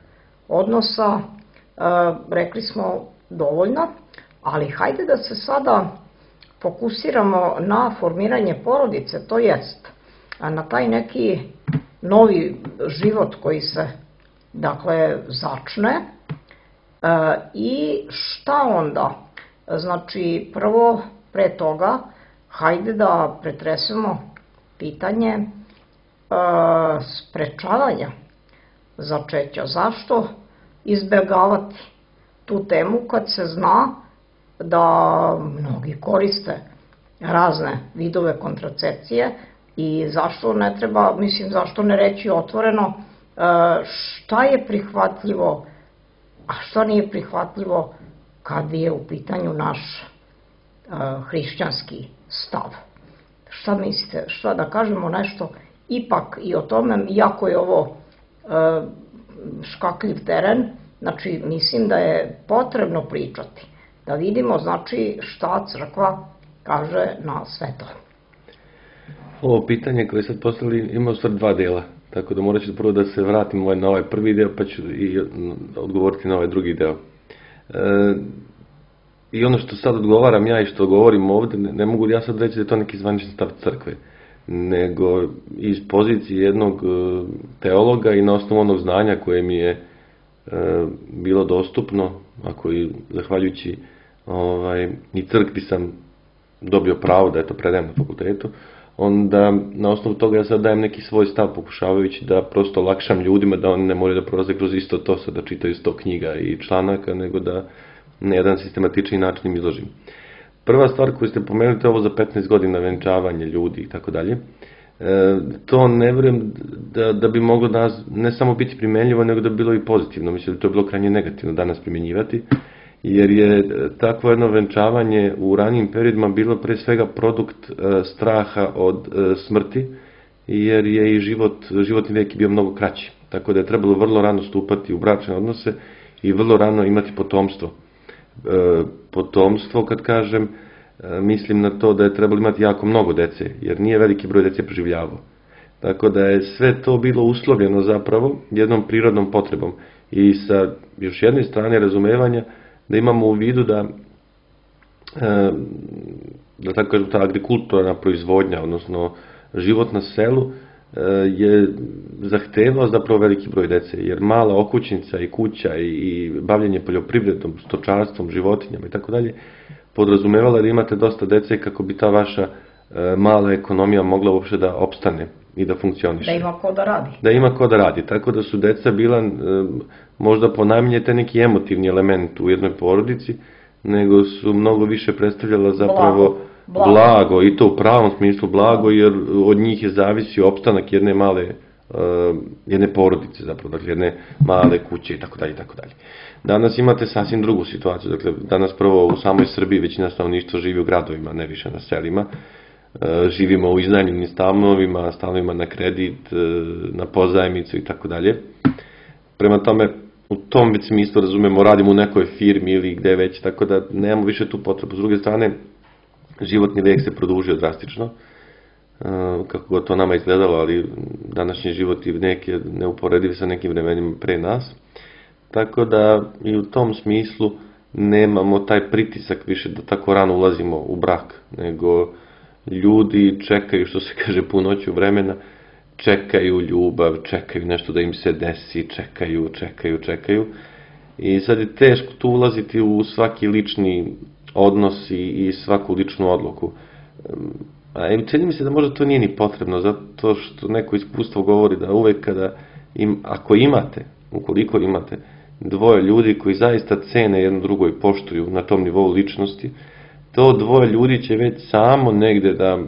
odnosa, rekli smo dovoljno, ali hajde da se sada fokusiramo na formiranje porodice, to jest na taj neki novi život koji se, dakle, začne. I šta onda? Znači, prvo, pre toga, hajde da pretresemo pitanje sprečavanja začeća. Zašto izbegavati tu temu kad se zna da mnogi koriste razne vidove kontracepcije i zašto ne treba, zašto ne reći otvoreno šta je prihvatljivo, a što nije prihvatljivo kad je u pitanju naš hrišćanski stav. Šta mislite, šta da kažemo nešto ipak i o tome, iako je ovo škakljiv teren, znači mislim da je potrebno pričati, da vidimo znači šta crkva kaže na sve to. Ovo pitanje koje sad postavili ima u stvari dva dela, tako da morat ću prvo da se vratim na ovaj prvi deo pa ću i odgovoriti na ovaj drugi deo. I ono što sad odgovaram ja i što govorim ovde, ne mogu ja sad reći da je to neki zvanični stav crkve, nego iz pozicije jednog teologa i na osnovu onog znanja koje mi je bilo dostupno, ako i zahvaljujući i crkvi sam dobio pravo da to predajem na fakultetu, onda na osnovu toga ja sad dajem neki svoj stav pokušavajući da prosto olakšam ljudima da oni ne moraju da prolaze kroz isto to sad da čitaju 100 knjiga i članaka, nego da na jedan sistematični način im izložim. Prva stvar koju ste pomenuli je ovo za 15 godina venčavanje ljudi i tako dalje. To ne vjerujem da bi moglo danas ne samo biti primenljivo, nego da bi bilo i pozitivno. Mislim da to je bilo krajnje negativno danas primjenjivati, jer je takvo jedno venčavanje u ranijim periodima bilo pre svega produkt straha od smrti, jer je i životni vijek bio mnogo kraći. Tako da je trebalo vrlo rano stupati u bračne odnose i vrlo rano imati potomstvo. Potomstvo, kad kažem, mislim na to da je trebalo imati jako mnogo dece, jer nije veliki broj dece preživljavao. Tako da je sve to bilo uslovljeno zapravo jednom prirodnom potrebom i sa još jedne strane razumevanja da imamo u vidu da tako kažem, ta agrikulturna proizvodnja, odnosno život na selu je zahtevao zapravo veliki broj dece, jer mala okućnica i kuća i bavljenje poljoprivredom, stočarstvom, životinjama i tako dalje podrazumevala da imate dosta dece kako bi ta vaša mala ekonomija mogla uopšte da opstane i da funkcioniše. Da ima ko da radi. Da ima ko da radi, tako da su deca bila možda ponajmanje te neki emotivni element u jednoj porodici, nego su mnogo više predstavljala zapravo blago i to u pravom smislu blago, jer od njih je zavisio opstanak jedne porodice zapravo, dakle jedne male kuće i tako dalje i tako dalje. Danas imate sasvim drugu situaciju, dakle danas prvo u samoj Srbiji većina stanovništva živi u gradovima, ne više na selima. Živimo u iznajmljenim stanovima na kredit, na pozajmicu i tako dalje. Prema tome, u tom već smislu razumemo, radimo u nekoj firmi ili gde već, tako da nemamo više tu potrebu. S druge strane, životni vijek se produžio drastično, kako god to nama izgledalo, ali današnji život i vijek je neuporediv sa nekim vremenima pre nas. Tako da i u tom smislu nemamo taj pritisak više da tako rano ulazimo u brak, nego ljudi čekaju, što se kaže, punoću vremena, čekaju ljubav, čekaju nešto da im se desi, čekaju. I sad je teško tu ulaziti u svaki lični odnos i svaku ličnu odluku. A čini mi se da možda to nije ni potrebno, zato što neko iskustvo govori da uvek kada, ukoliko imate dvoje ljudi koji zaista cene jedno drugo i poštuju na tom nivou ličnosti, to dvoje ljudi će već samo negde da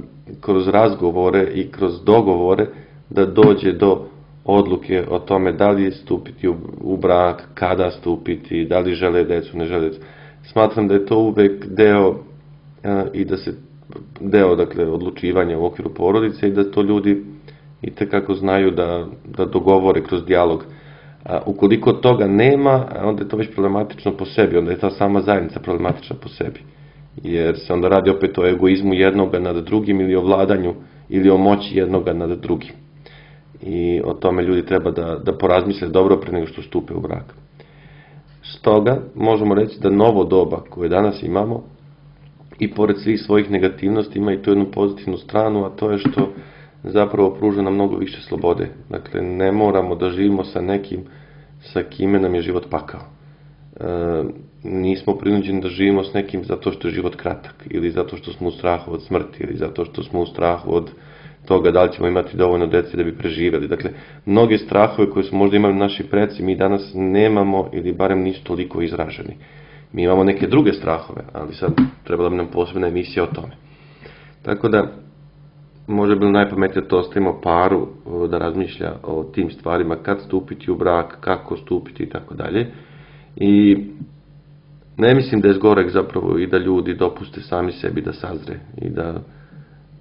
kroz razgovore i kroz dogovore da dođe do odluke o tome da li stupiti u brak, kada stupiti, da li žele decu, ne žele decu. Smatram da je to uvek deo dakle, odlučivanja u okviru porodice i da to ljudi itekako znaju da dogovore kroz dijalog. Ukoliko toga nema, onda je to već problematično po sebi, onda je ta sama zajednica problematična po sebi. Jer se onda radi opet o egoizmu jednoga nad drugim ili o vladanju ili o moći jednoga nad drugim. I o tome ljudi treba da porazmisle dobro pre nego što stupe u brak. Stoga možemo reći da novo doba koje danas imamo i pored svih svojih negativnosti ima i tu jednu pozitivnu stranu, a to je što zapravo pruža nam mnogo više slobode. Dakle, ne moramo da živimo sa nekim sa kime nam je život pakao. Nismo prinuđeni da živimo s nekim zato što je život kratak ili zato što smo u strahu od smrti ili zato što smo u strahu od toga da li ćemo imati dovoljno dece da bi preživjeli. Dakle, mnoge strahove koje su možda imali naši preci mi danas nemamo ili barem nisu toliko izraženi. Mi imamo neke druge strahove, ali sad trebala bi nam posebna emisija o tome. Tako da, možda je bilo najpametnije da to ostavimo paru da razmišlja o tim stvarima, kad stupiti u brak, kako stupiti i tako dalje. I ne mislim da je zgorek zapravo i da ljudi dopuste sami sebi da sazre i da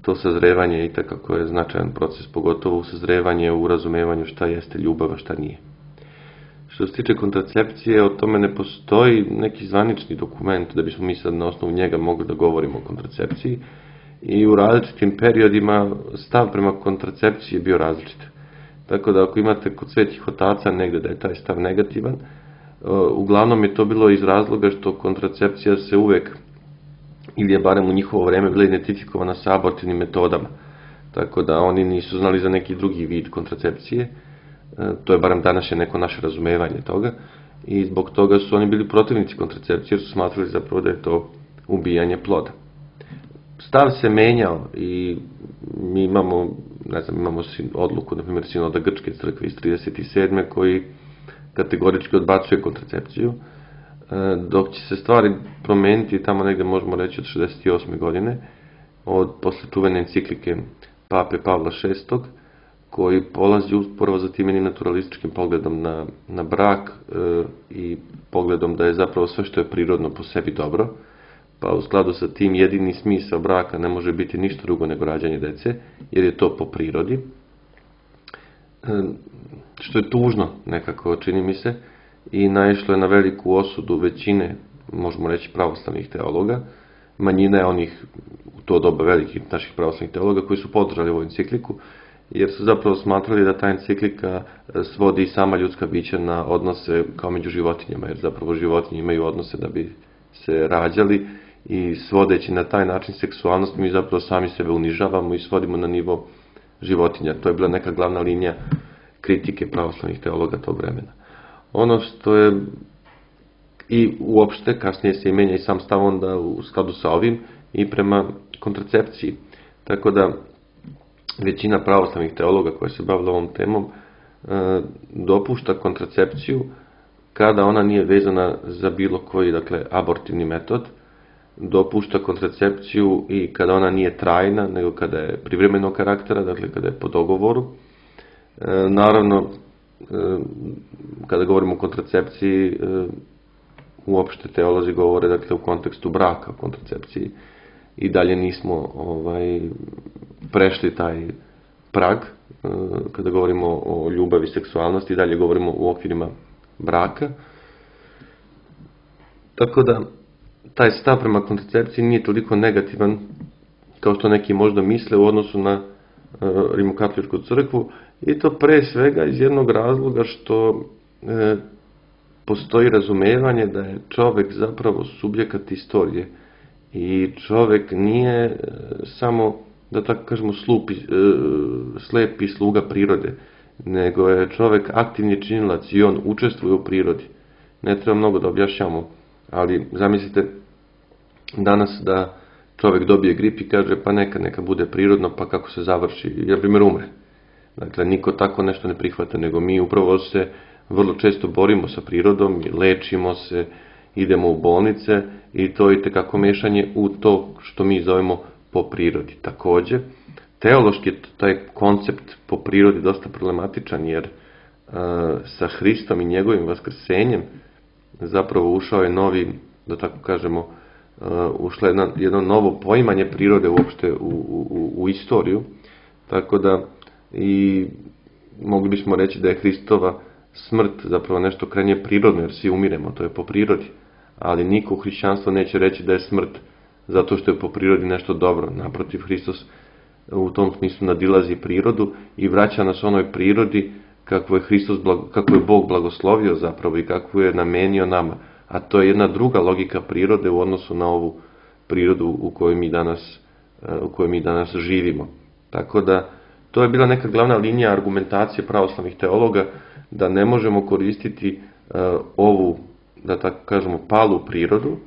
to sazrevanje itekako je značajan proces, pogotovo u sazrevanje, u razumevanju šta jeste ljubav, a šta nije. Što se tiče kontracepcije, o tome ne postoji neki zvanični dokument da bismo mi sad na osnovu njega mogli da govorimo o kontracepciji i u različitim periodima stav prema kontracepciji je bio različit. Tako da ako imate kod svetih otaca negde da je taj stav negativan, uglavnom je to bilo iz razloga što kontracepcija se uvek, ili je barem u njihovo vreme, bila identifikovana sa abortivnim metodama. Tako da oni nisu znali za neki drugi vid kontracepcije. To je barem današnje neko naše razumevanje toga. I zbog toga su oni bili protivnici kontracepcije, jer su smatrali zapravo da je to ubijanje ploda. Stav se menjao i mi imamo, imamo odluku, na primjer, Sinoda Grčke crkve iz 37. koji kategorički odbacuje kontracepciju, dok će se stvari promeniti tamo negde možemo reći od 68. godine, posle čuvene enciklike Pape Pavla VI, koji polazi upravo za tim jednim naturalističkim pogledom na brak i pogledom da je zapravo sve što je prirodno po sebi dobro, pa u skladu sa tim jedini smisao braka ne može biti ništa drugo nego rađanje dece, jer je to po prirodi. Što je tužno nekako, čini mi se, i naišlo je na veliku osudu većine, možemo reći, pravoslavnih teologa. Manjina je onih, u to doba velikih naših pravoslavnih teologa, koji su podržali ovu encikliku, jer su zapravo smatrali da ta enciklika svodi i sama ljudska bića na odnose kao među životinjama, jer zapravo životinje imaju odnose da bi se rađali i svodeći na taj način seksualnost, mi zapravo sami sebe unižavamo i svodimo na nivo životinja. To je bila neka glavna linija kritike pravoslavnih teologa tog vremena. Ono što je i uopšte, kasnije se menja i sam stav onda u skladu sa ovim i prema kontracepciji. Tako da većina pravoslavnih teologa koja se bavila ovom temom dopušta kontracepciju kada ona nije vezana za bilo koji, abortivni metod, dopušta kontracepciju i kada ona nije trajna, nego kada je privremenog karaktera, kada je po dogovoru. Naravno, kada govorimo o kontracepciji, uopšte teolozi govore u kontekstu braka o kontracepciji i dalje nismo prešli taj prag kada govorimo o ljubavi i seksualnosti, i dalje govorimo u okvirima braka. Tako da taj stav prema kontracepciji nije toliko negativan kao što neki možda misle u odnosu na Rimokatoličku crkvu, i to pre svega iz jednog razloga što postoji razumevanje da je čovek zapravo subjekat istorije i čovek nije samo, da tako kažemo, slepi sluga prirode, nego je čovek aktivni činilac i on učestvuje u prirodi. Ne treba mnogo da objašnjamo, ali zamislite danas da čovek dobije grip i kaže pa neka bude prirodno, pa kako se završi, na primjer umre. Dakle, niko tako nešto ne prihvata, nego mi upravo se vrlo često borimo sa prirodom, lečimo se, idemo u bolnice i to je itekako mešanje u to što mi zovemo po prirodi. Takođe, teološki je taj koncept po prirodi dosta problematičan, jer sa Hristom i njegovim vaskrsenjem zapravo ušao je novi, da tako kažemo, ušlo je jedno novo poimanje prirode uopšte u istoriju, tako da i mogli bismo reći da je Hristova smrt zapravo nešto krajnje prirodno, jer svi umiremo, to je po prirodi, ali niko u hrišćanstvu neće reći da je smrt zato što je po prirodi nešto dobro. Naprotiv, Hristos u tom smislu nadilazi prirodu i vraća nas onoj prirodi kako je Bog blagoslovio zapravo i kako je namenio nama. A to je jedna druga logika prirode u odnosu na ovu prirodu u kojoj mi danas živimo. Tako da, to je bila neka glavna linija argumentacije pravoslavnih teologa, da ne možemo koristiti ovu, da tako kažemo, palu prirodu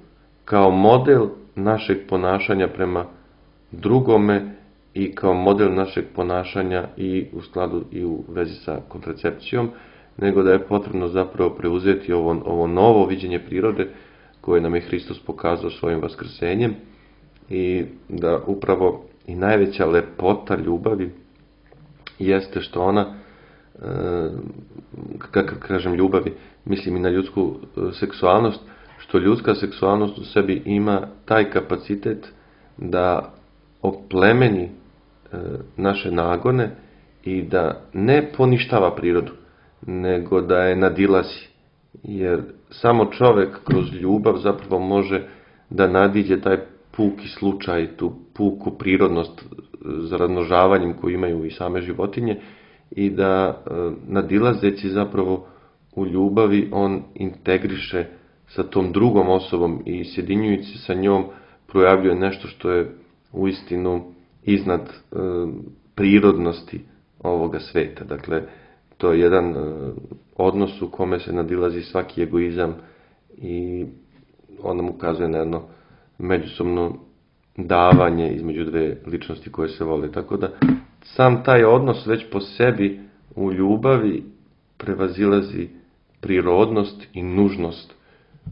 kao model našeg ponašanja prema drugome i kao model našeg ponašanja i u skladu i u vezi sa kontracepcijom, nego da je potrebno zapravo preuzeti ovo novo viđenje prirode koje nam je Hristos pokazao svojim vaskrsenjem i da upravo i najveća lepota ljubavi jeste što ona, kako kažem ljubavi, mislim i na ljudsku seksualnost, što ljudska seksualnost u sebi ima taj kapacitet da oplemeni naše nagone i da ne poništava prirodu, nego da je nadilazi. Jer samo čovek kroz ljubav zapravo može da nadiđe taj puki slučaj, tu puku prirodnost za razmnožavanjem koju imaju i same životinje i da nadilazeći zapravo u ljubavi on integriše sa tom drugom osobom i sjedinjujući sa njom projavljuje nešto što je uistinu iznad prirodnosti ovoga sveta. Dakle, to je jedan odnos u kome se nadilazi svaki egoizam i on nam ukazuje na jedno međusobno davanje između dve ličnosti koje se vole. Tako da sam taj odnos već po sebi u ljubavi prevazilazi prirodnost i nužnost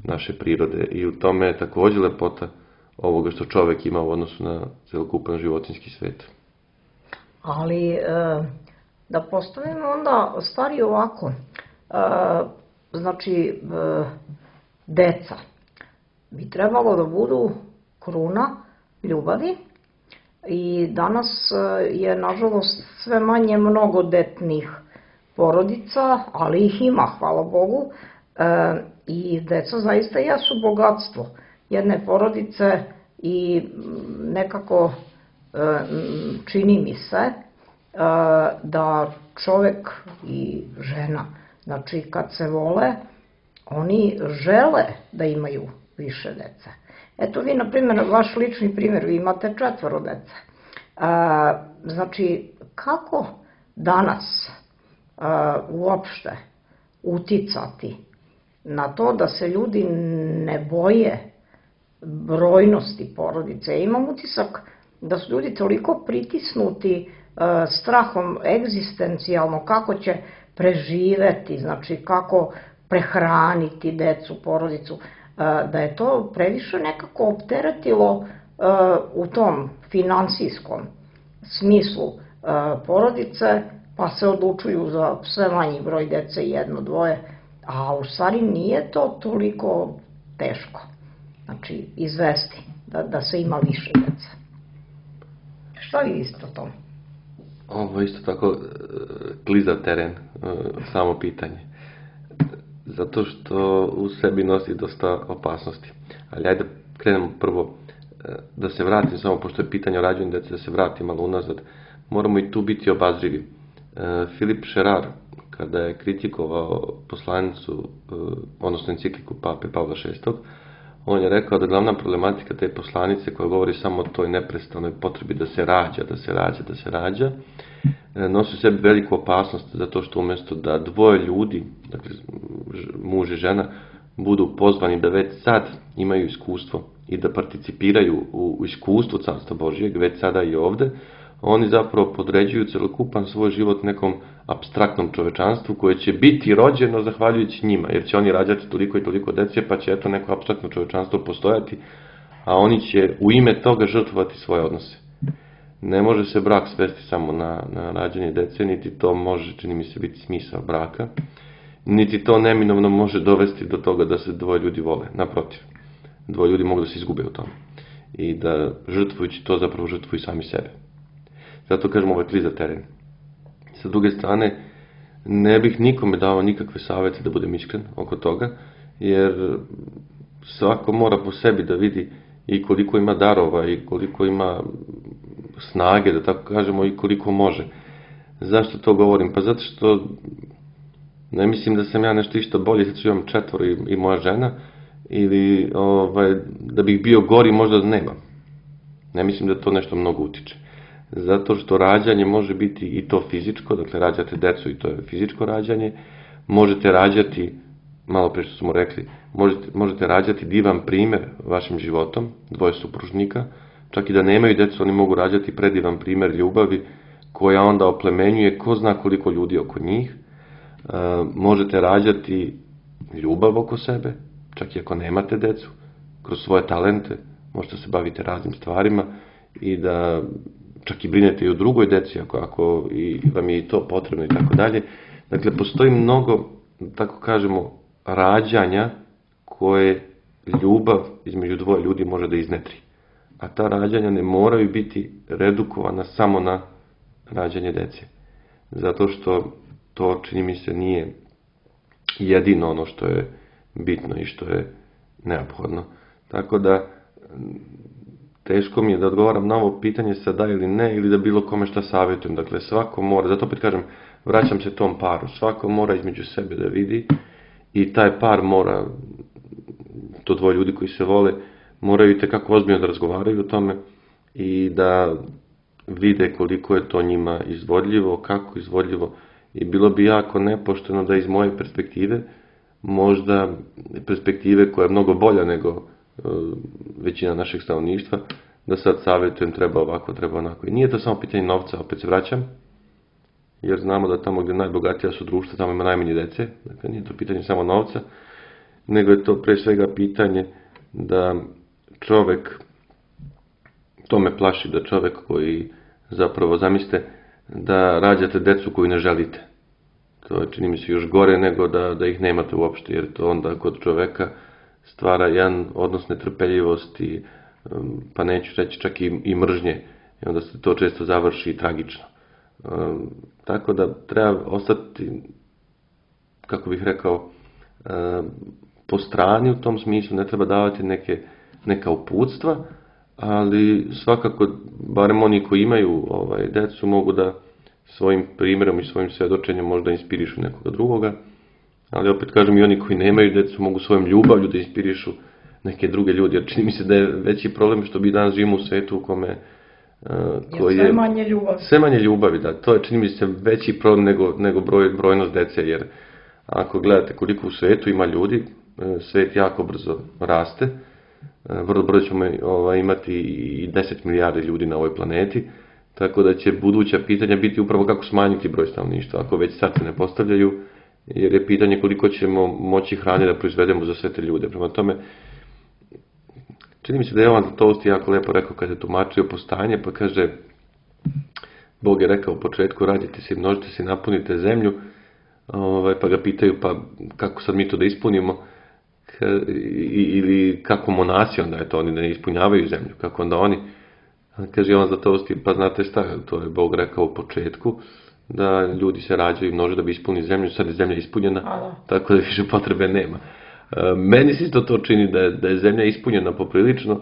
naše prirode i u tome je također lepota ovoga što čovek ima u odnosu na celokupan životinjski svet. Ali da postavimo onda stvari ovako, znači deca bi trebalo da budu kruna ljubavi i danas je nažalost sve manje mnogodetnih porodica, ali ih ima, hvala Bogu, i deca zaista jesu bogatstvo jedne porodice i nekako čini mi se da čovek i žena, znači kad se vole, oni žele da imaju više dece. Eto vi, na primjer, vaš lični primjer, vi imate 4 dece. Znači, kako danas uopšte uticati na to da se ljudi ne boje brojnosti porodice? Imam utisak da su ljudi toliko pritisnuti strahom egzistencijalno kako će preživeti, znači kako prehraniti decu, porodicu, da je to previše nekako opteretilo u tom finansijskom smislu porodice, pa se odlučuju za sve manji broj dece, 1, 2, a u stvari nije to toliko teško, znači izvesti da se ima više dece. Šta vi mislite o tom? Ovo je isto tako klizav teren, samo pitanje. Zato što u sebi nosi dosta opasnosti. Ali ajde krenemo prvo da se vratim, samo pošto je pitanje o rađanju dece, da se vratim malo unazad. Moramo i tu biti obazrivi. Filip Šerar, kada je kritikovao poslanicu, odnosno encikliku pape Pavla VI, on je rekao da glavna problematika te poslanice koja govori samo o toj neprestanoj potrebi da se rađa, nosi u sebi veliku opasnost zato što umjesto da 2 ljudi, dakle muž i žena, budu pozvani da već sad imaju iskustvo i da participiraju u iskustvu Carstva Božijeg, već sada i ovde, oni zapravo podređuju celokupan svoj život nekom apstraktnom čovečanstvu koje će biti rođeno zahvaljujući njima, jer će oni rađati toliko i toliko dece, pa će eto neko apstraktno čovečanstvo postojati, a oni će u ime toga žrtvovati svoje odnose. Ne može se brak svesti samo na rađanje dece, niti to može, čini mi se, biti smisao braka, niti to neminovno može dovesti do toga da se 2 ljudi vole. Naprotiv, 2 ljudi mogu da se izgube u tome i da žrtvujući to zapravo žrtvuju sami sebe. Zato kažem, ovo je klizav teren. Sa druge strane, ne bih nikome dao nikakve savjete, da budem iskren oko toga, jer svako mora po sebi da vidi i koliko ima darova i koliko ima snage, da tako kažemo, i koliko može. Zašto to govorim? Pa zato što ne mislim da sam ja nešto išta bolje, zato što imam 4 i moja žena, ili da bih bio gori možda da nemam. Ne mislim da to nešto mnogo utiče. Zato što rađanje može biti i to fizičko, dakle rađate decu i to je fizičko rađanje, možete rađati, malo pre što smo rekli, možete rađati divan primjer vašim životom, 2 supružnika, čak i da nemaju decu, oni mogu rađati predivan primjer ljubavi koja onda oplemenjuje ko zna koliko ljudi oko njih. Možete rađati ljubav oko sebe, čak i ako nemate decu, kroz svoje talente, možete se baviti raznim stvarima i da čak i brinete i o drugoj deci, ako i vam je i to potrebno i tako dalje. Dakle, postoji mnogo, tako kažemo, rađanja koje ljubav između dvoje ljudi može da iznetri. A ta rađanja ne moraju biti redukovana samo na rađanje dece. Zato što to, čini mi se, nije jedino ono što je bitno i što je neophodno. Tako da, teško mi je da odgovaram na ovo pitanje sa da ili ne, ili da bilo kome šta savjetujem. Dakle, svako mora, zato opet kažem, vraćam se tom paru, svako mora između sebe da vidi i taj par mora, to dvoje ljudi koji se vole, moraju i tekako ozbiljno da razgovaraju o tome i da vide koliko je to njima izvodljivo, kako izvodljivo. I bilo bi jako nepošteno da iz moje perspektive, možda perspektive koja je mnogo bolja nego većina našeg stanovništva, da sad savjetujem treba ovako, treba onako. I nije to samo pitanje novca, opet se vraćam, jer znamo da tamo gdje najbogatija su društva, tamo ima najmanje dece. Dakle, nije to pitanje samo novca, nego je to pre svega pitanje da čovek, to me plaši, da čovek koji zapravo zamislite da rađate decu koju ne želite. To je, čini mi se, još gore nego da ih nemate uopšte, jer to onda kod čoveka stvara jedan odnos netrpeljivosti, pa neću reći čak i mržnje, i onda se to često završi tragično. Tako da treba ostati, kako bih rekao, po strani u tom smislu, ne treba davati neka uputstva, ali svakako, barem oni koji imaju decu, mogu da svojim primjerom i svojim svjedočenjem možda inspirišu nekoga drugoga, ali opet kažem, i oni koji nemaju decu mogu svojom ljubavlju da inspirišu neke druge ljudi, jer čini mi se da je veći problem što mi danas živimo u svetu u kome sve manje ljubavi. Sve manje ljubavi, da. To je, čini mi se, veći problem nego brojnost dece, jer ako gledate koliko u svetu ima ljudi, svet jako brzo raste, vrlo brzo ćemo imati i 10 milijardi ljudi na ovoj planeti, tako da će buduća pitanja biti upravo kako smanjiti broj stanovništva, ako već sad se ne postavljaju, jer je pitanje koliko ćemo moći hrane da proizvedemo za sve te ljude. Prema tome, čini mi se da je Jovan Zlatoust jako lepo rekao kad je tumačio postanje, pa kaže, Bog je rekao u početku, rađite se i množite se i napunite zemlju, pa ga pitaju, pa kako sad mi to da ispunimo, ili kako monasi onda je to, oni ne ispunjavaju zemlju, kako onda oni, kaže Jovan Zlatoust, pa znate šta, to je Bog rekao u početku, da ljudi se rađaju i množe da bi ispunili zemlju, sad je zemlja ispunjena, tako da više potrebe nema. Meni se isto to čini da je zemlja ispunjena poprilično,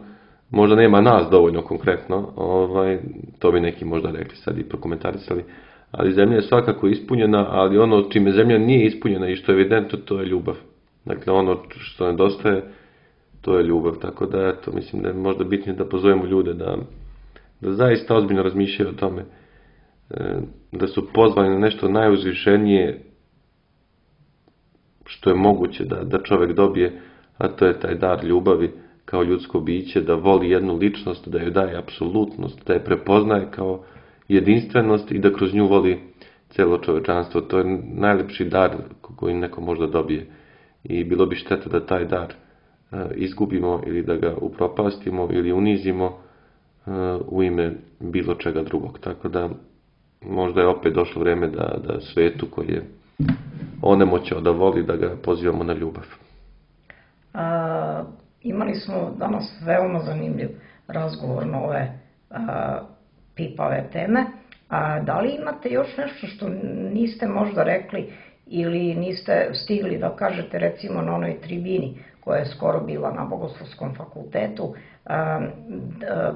možda nema nas dovoljno konkretno, to bi neki možda rekli sad i prokomentarisali, ali zemlja je svakako ispunjena, ali ono čime zemlja nije ispunjena i što je evidentno, to je ljubav. Dakle, ono što nedostaje, to je ljubav, tako da eto, mislim da je možda bitnije da pozovemo ljude da zaista ozbiljno razmišljaju o tome, da su pozvani na nešto najuzvišenije što je moguće da čovjek dobije, a to je taj dar ljubavi kao ljudsko biće, da voli jednu ličnost, da joj daje apsolutnost, da je prepoznaje kao jedinstvenost i da kroz nju voli cijelo čovečanstvo. To je najlepši dar koji neko možda dobije. I bilo bi šteta da taj dar izgubimo ili da ga upropastimo ili unizimo u ime bilo čega drugog. Tako da možda je opet došlo vrijeme da svetu koji je onemoćao da voli, da ga pozivamo na ljubav. Imali smo danas veoma zanimljiv razgovor na ove pipave teme. Da li imate još nešto što niste možda rekli ili niste stigli da kažete, recimo na onoj tribini koja je skoro bila na Bogoslovskom fakultetu?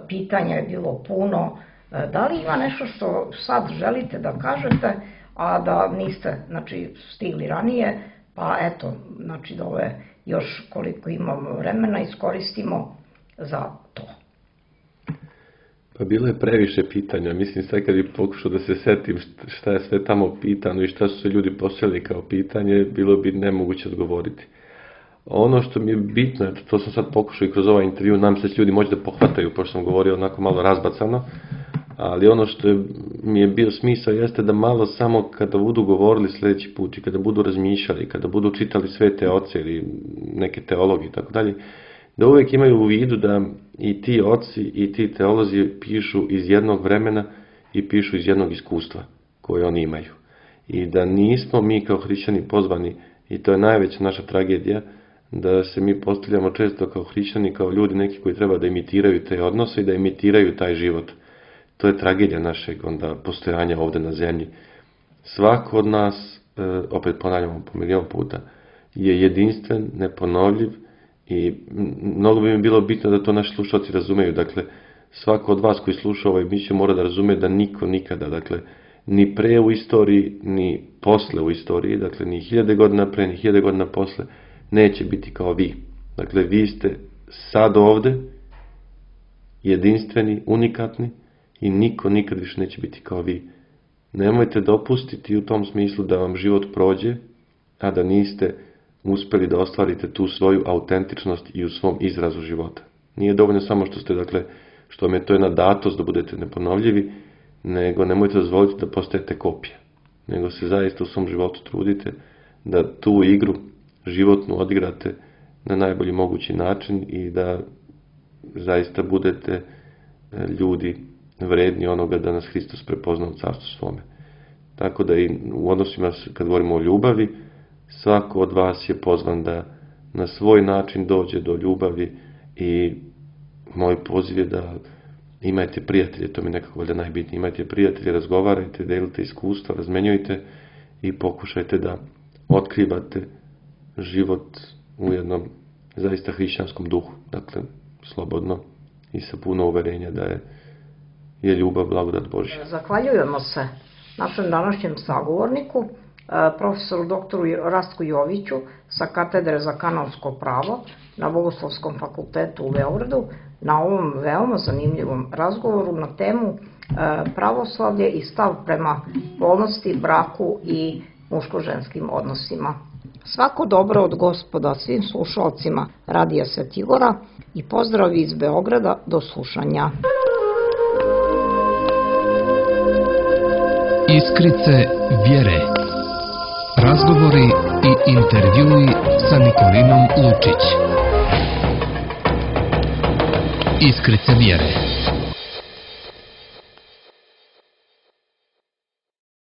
Pitanja je bilo puno. Da li ima nešto što sad želite da kažete, a da niste stigli ranije, pa eto, da ove još koliko imamo vremena iskoristimo za to? Pa bilo je previše pitanja, mislim sad kad bi pokušao da se setim šta je sve tamo pitano i šta su se ljudi postavili kao pitanje, bilo bi nemoguće odgovoriti. Ono što mi je bitno, to sam sad pokušao i kroz ovaj intervju, nam se ljudi moći da pohvataju, pošto sam govorio onako malo razbacano, ali ono što mi je bio smisao jeste da malo samo kada budu govorili sljedeći put i kada budu razmišljali, kada budu čitali svete oce ili neke teologi i tako dalje, da uvijek imaju u vidu da i ti oci i ti teolozi pišu iz jednog vremena i pišu iz jednog iskustva koje oni imaju. I da nismo mi kao hrišćani pozvani, i to je najveća naša tragedija, da se mi postavljamo često kao hrišćani, kao ljudi neki koji treba da imitiraju te odnose i da imitiraju taj život. To je tragedija našeg onda postojanja ovde na zemlji. Svako od nas, opet ponavljamo po milion puta, je jedinstven, neponovljiv i mnogo bi mi bilo bitno da to naši slušalci razumeju. Dakle, svako od vas koji sluša ovaj emisiju mora da razume da niko nikada, dakle, ni pre u istoriji, ni posle u istoriji, dakle, ni 1000 godina pre, ni 1000 godina posle, neće biti kao vi. Dakle, vi ste sad ovde, jedinstveni, unikatni i niko nikad više neće biti kao vi. Nemojte dopustiti u tom smislu da vam život prođe, a da niste uspeli da ostvarite tu svoju autentičnost i u svom izrazu života. Nije dovoljno samo što ste, dakle, što vam je to jedna datost da budete neponovljivi, nego nemojte dozvoliti da postajete kopija. Nego se zaista u svom životu trudite da tu igru životnu odigrate na najbolji mogući način i da zaista budete ljudi vredni onoga da nas Hristos prepozna u carstvu svome. Tako da i u odnosima, kad govorimo o ljubavi, svako od vas je pozvan da na svoj način dođe do ljubavi i moj poziv je da imajte prijatelje, to mi nekako valjda najbitnije, imajte prijatelje, razgovarajte, delite iskustva, razmenjujte i pokušajte da otkrivate život u jednom zaista hrišćanskom duhu, dakle, slobodno i sa puno uverenja da je ljubav blagodat Božja. Zahvaljujemo se našem današnjem sagovorniku, profesoru doktoru Rastku Joviću sa katedre za kanonsko pravo na Bogoslovskom fakultetu u Beogradu na ovom veoma zanimljivom razgovoru na temu pravoslavlje i stav prema polnosti, braku i muško-ženskim odnosima. Svako dobro od Gospoda svim slušalcima Radija Sveti Igora i pozdrav iz Beograda, do slušanja. Iskrice vjere. Razgovori i intervjui sa Nikolinom Lučić. Iskrice vjere.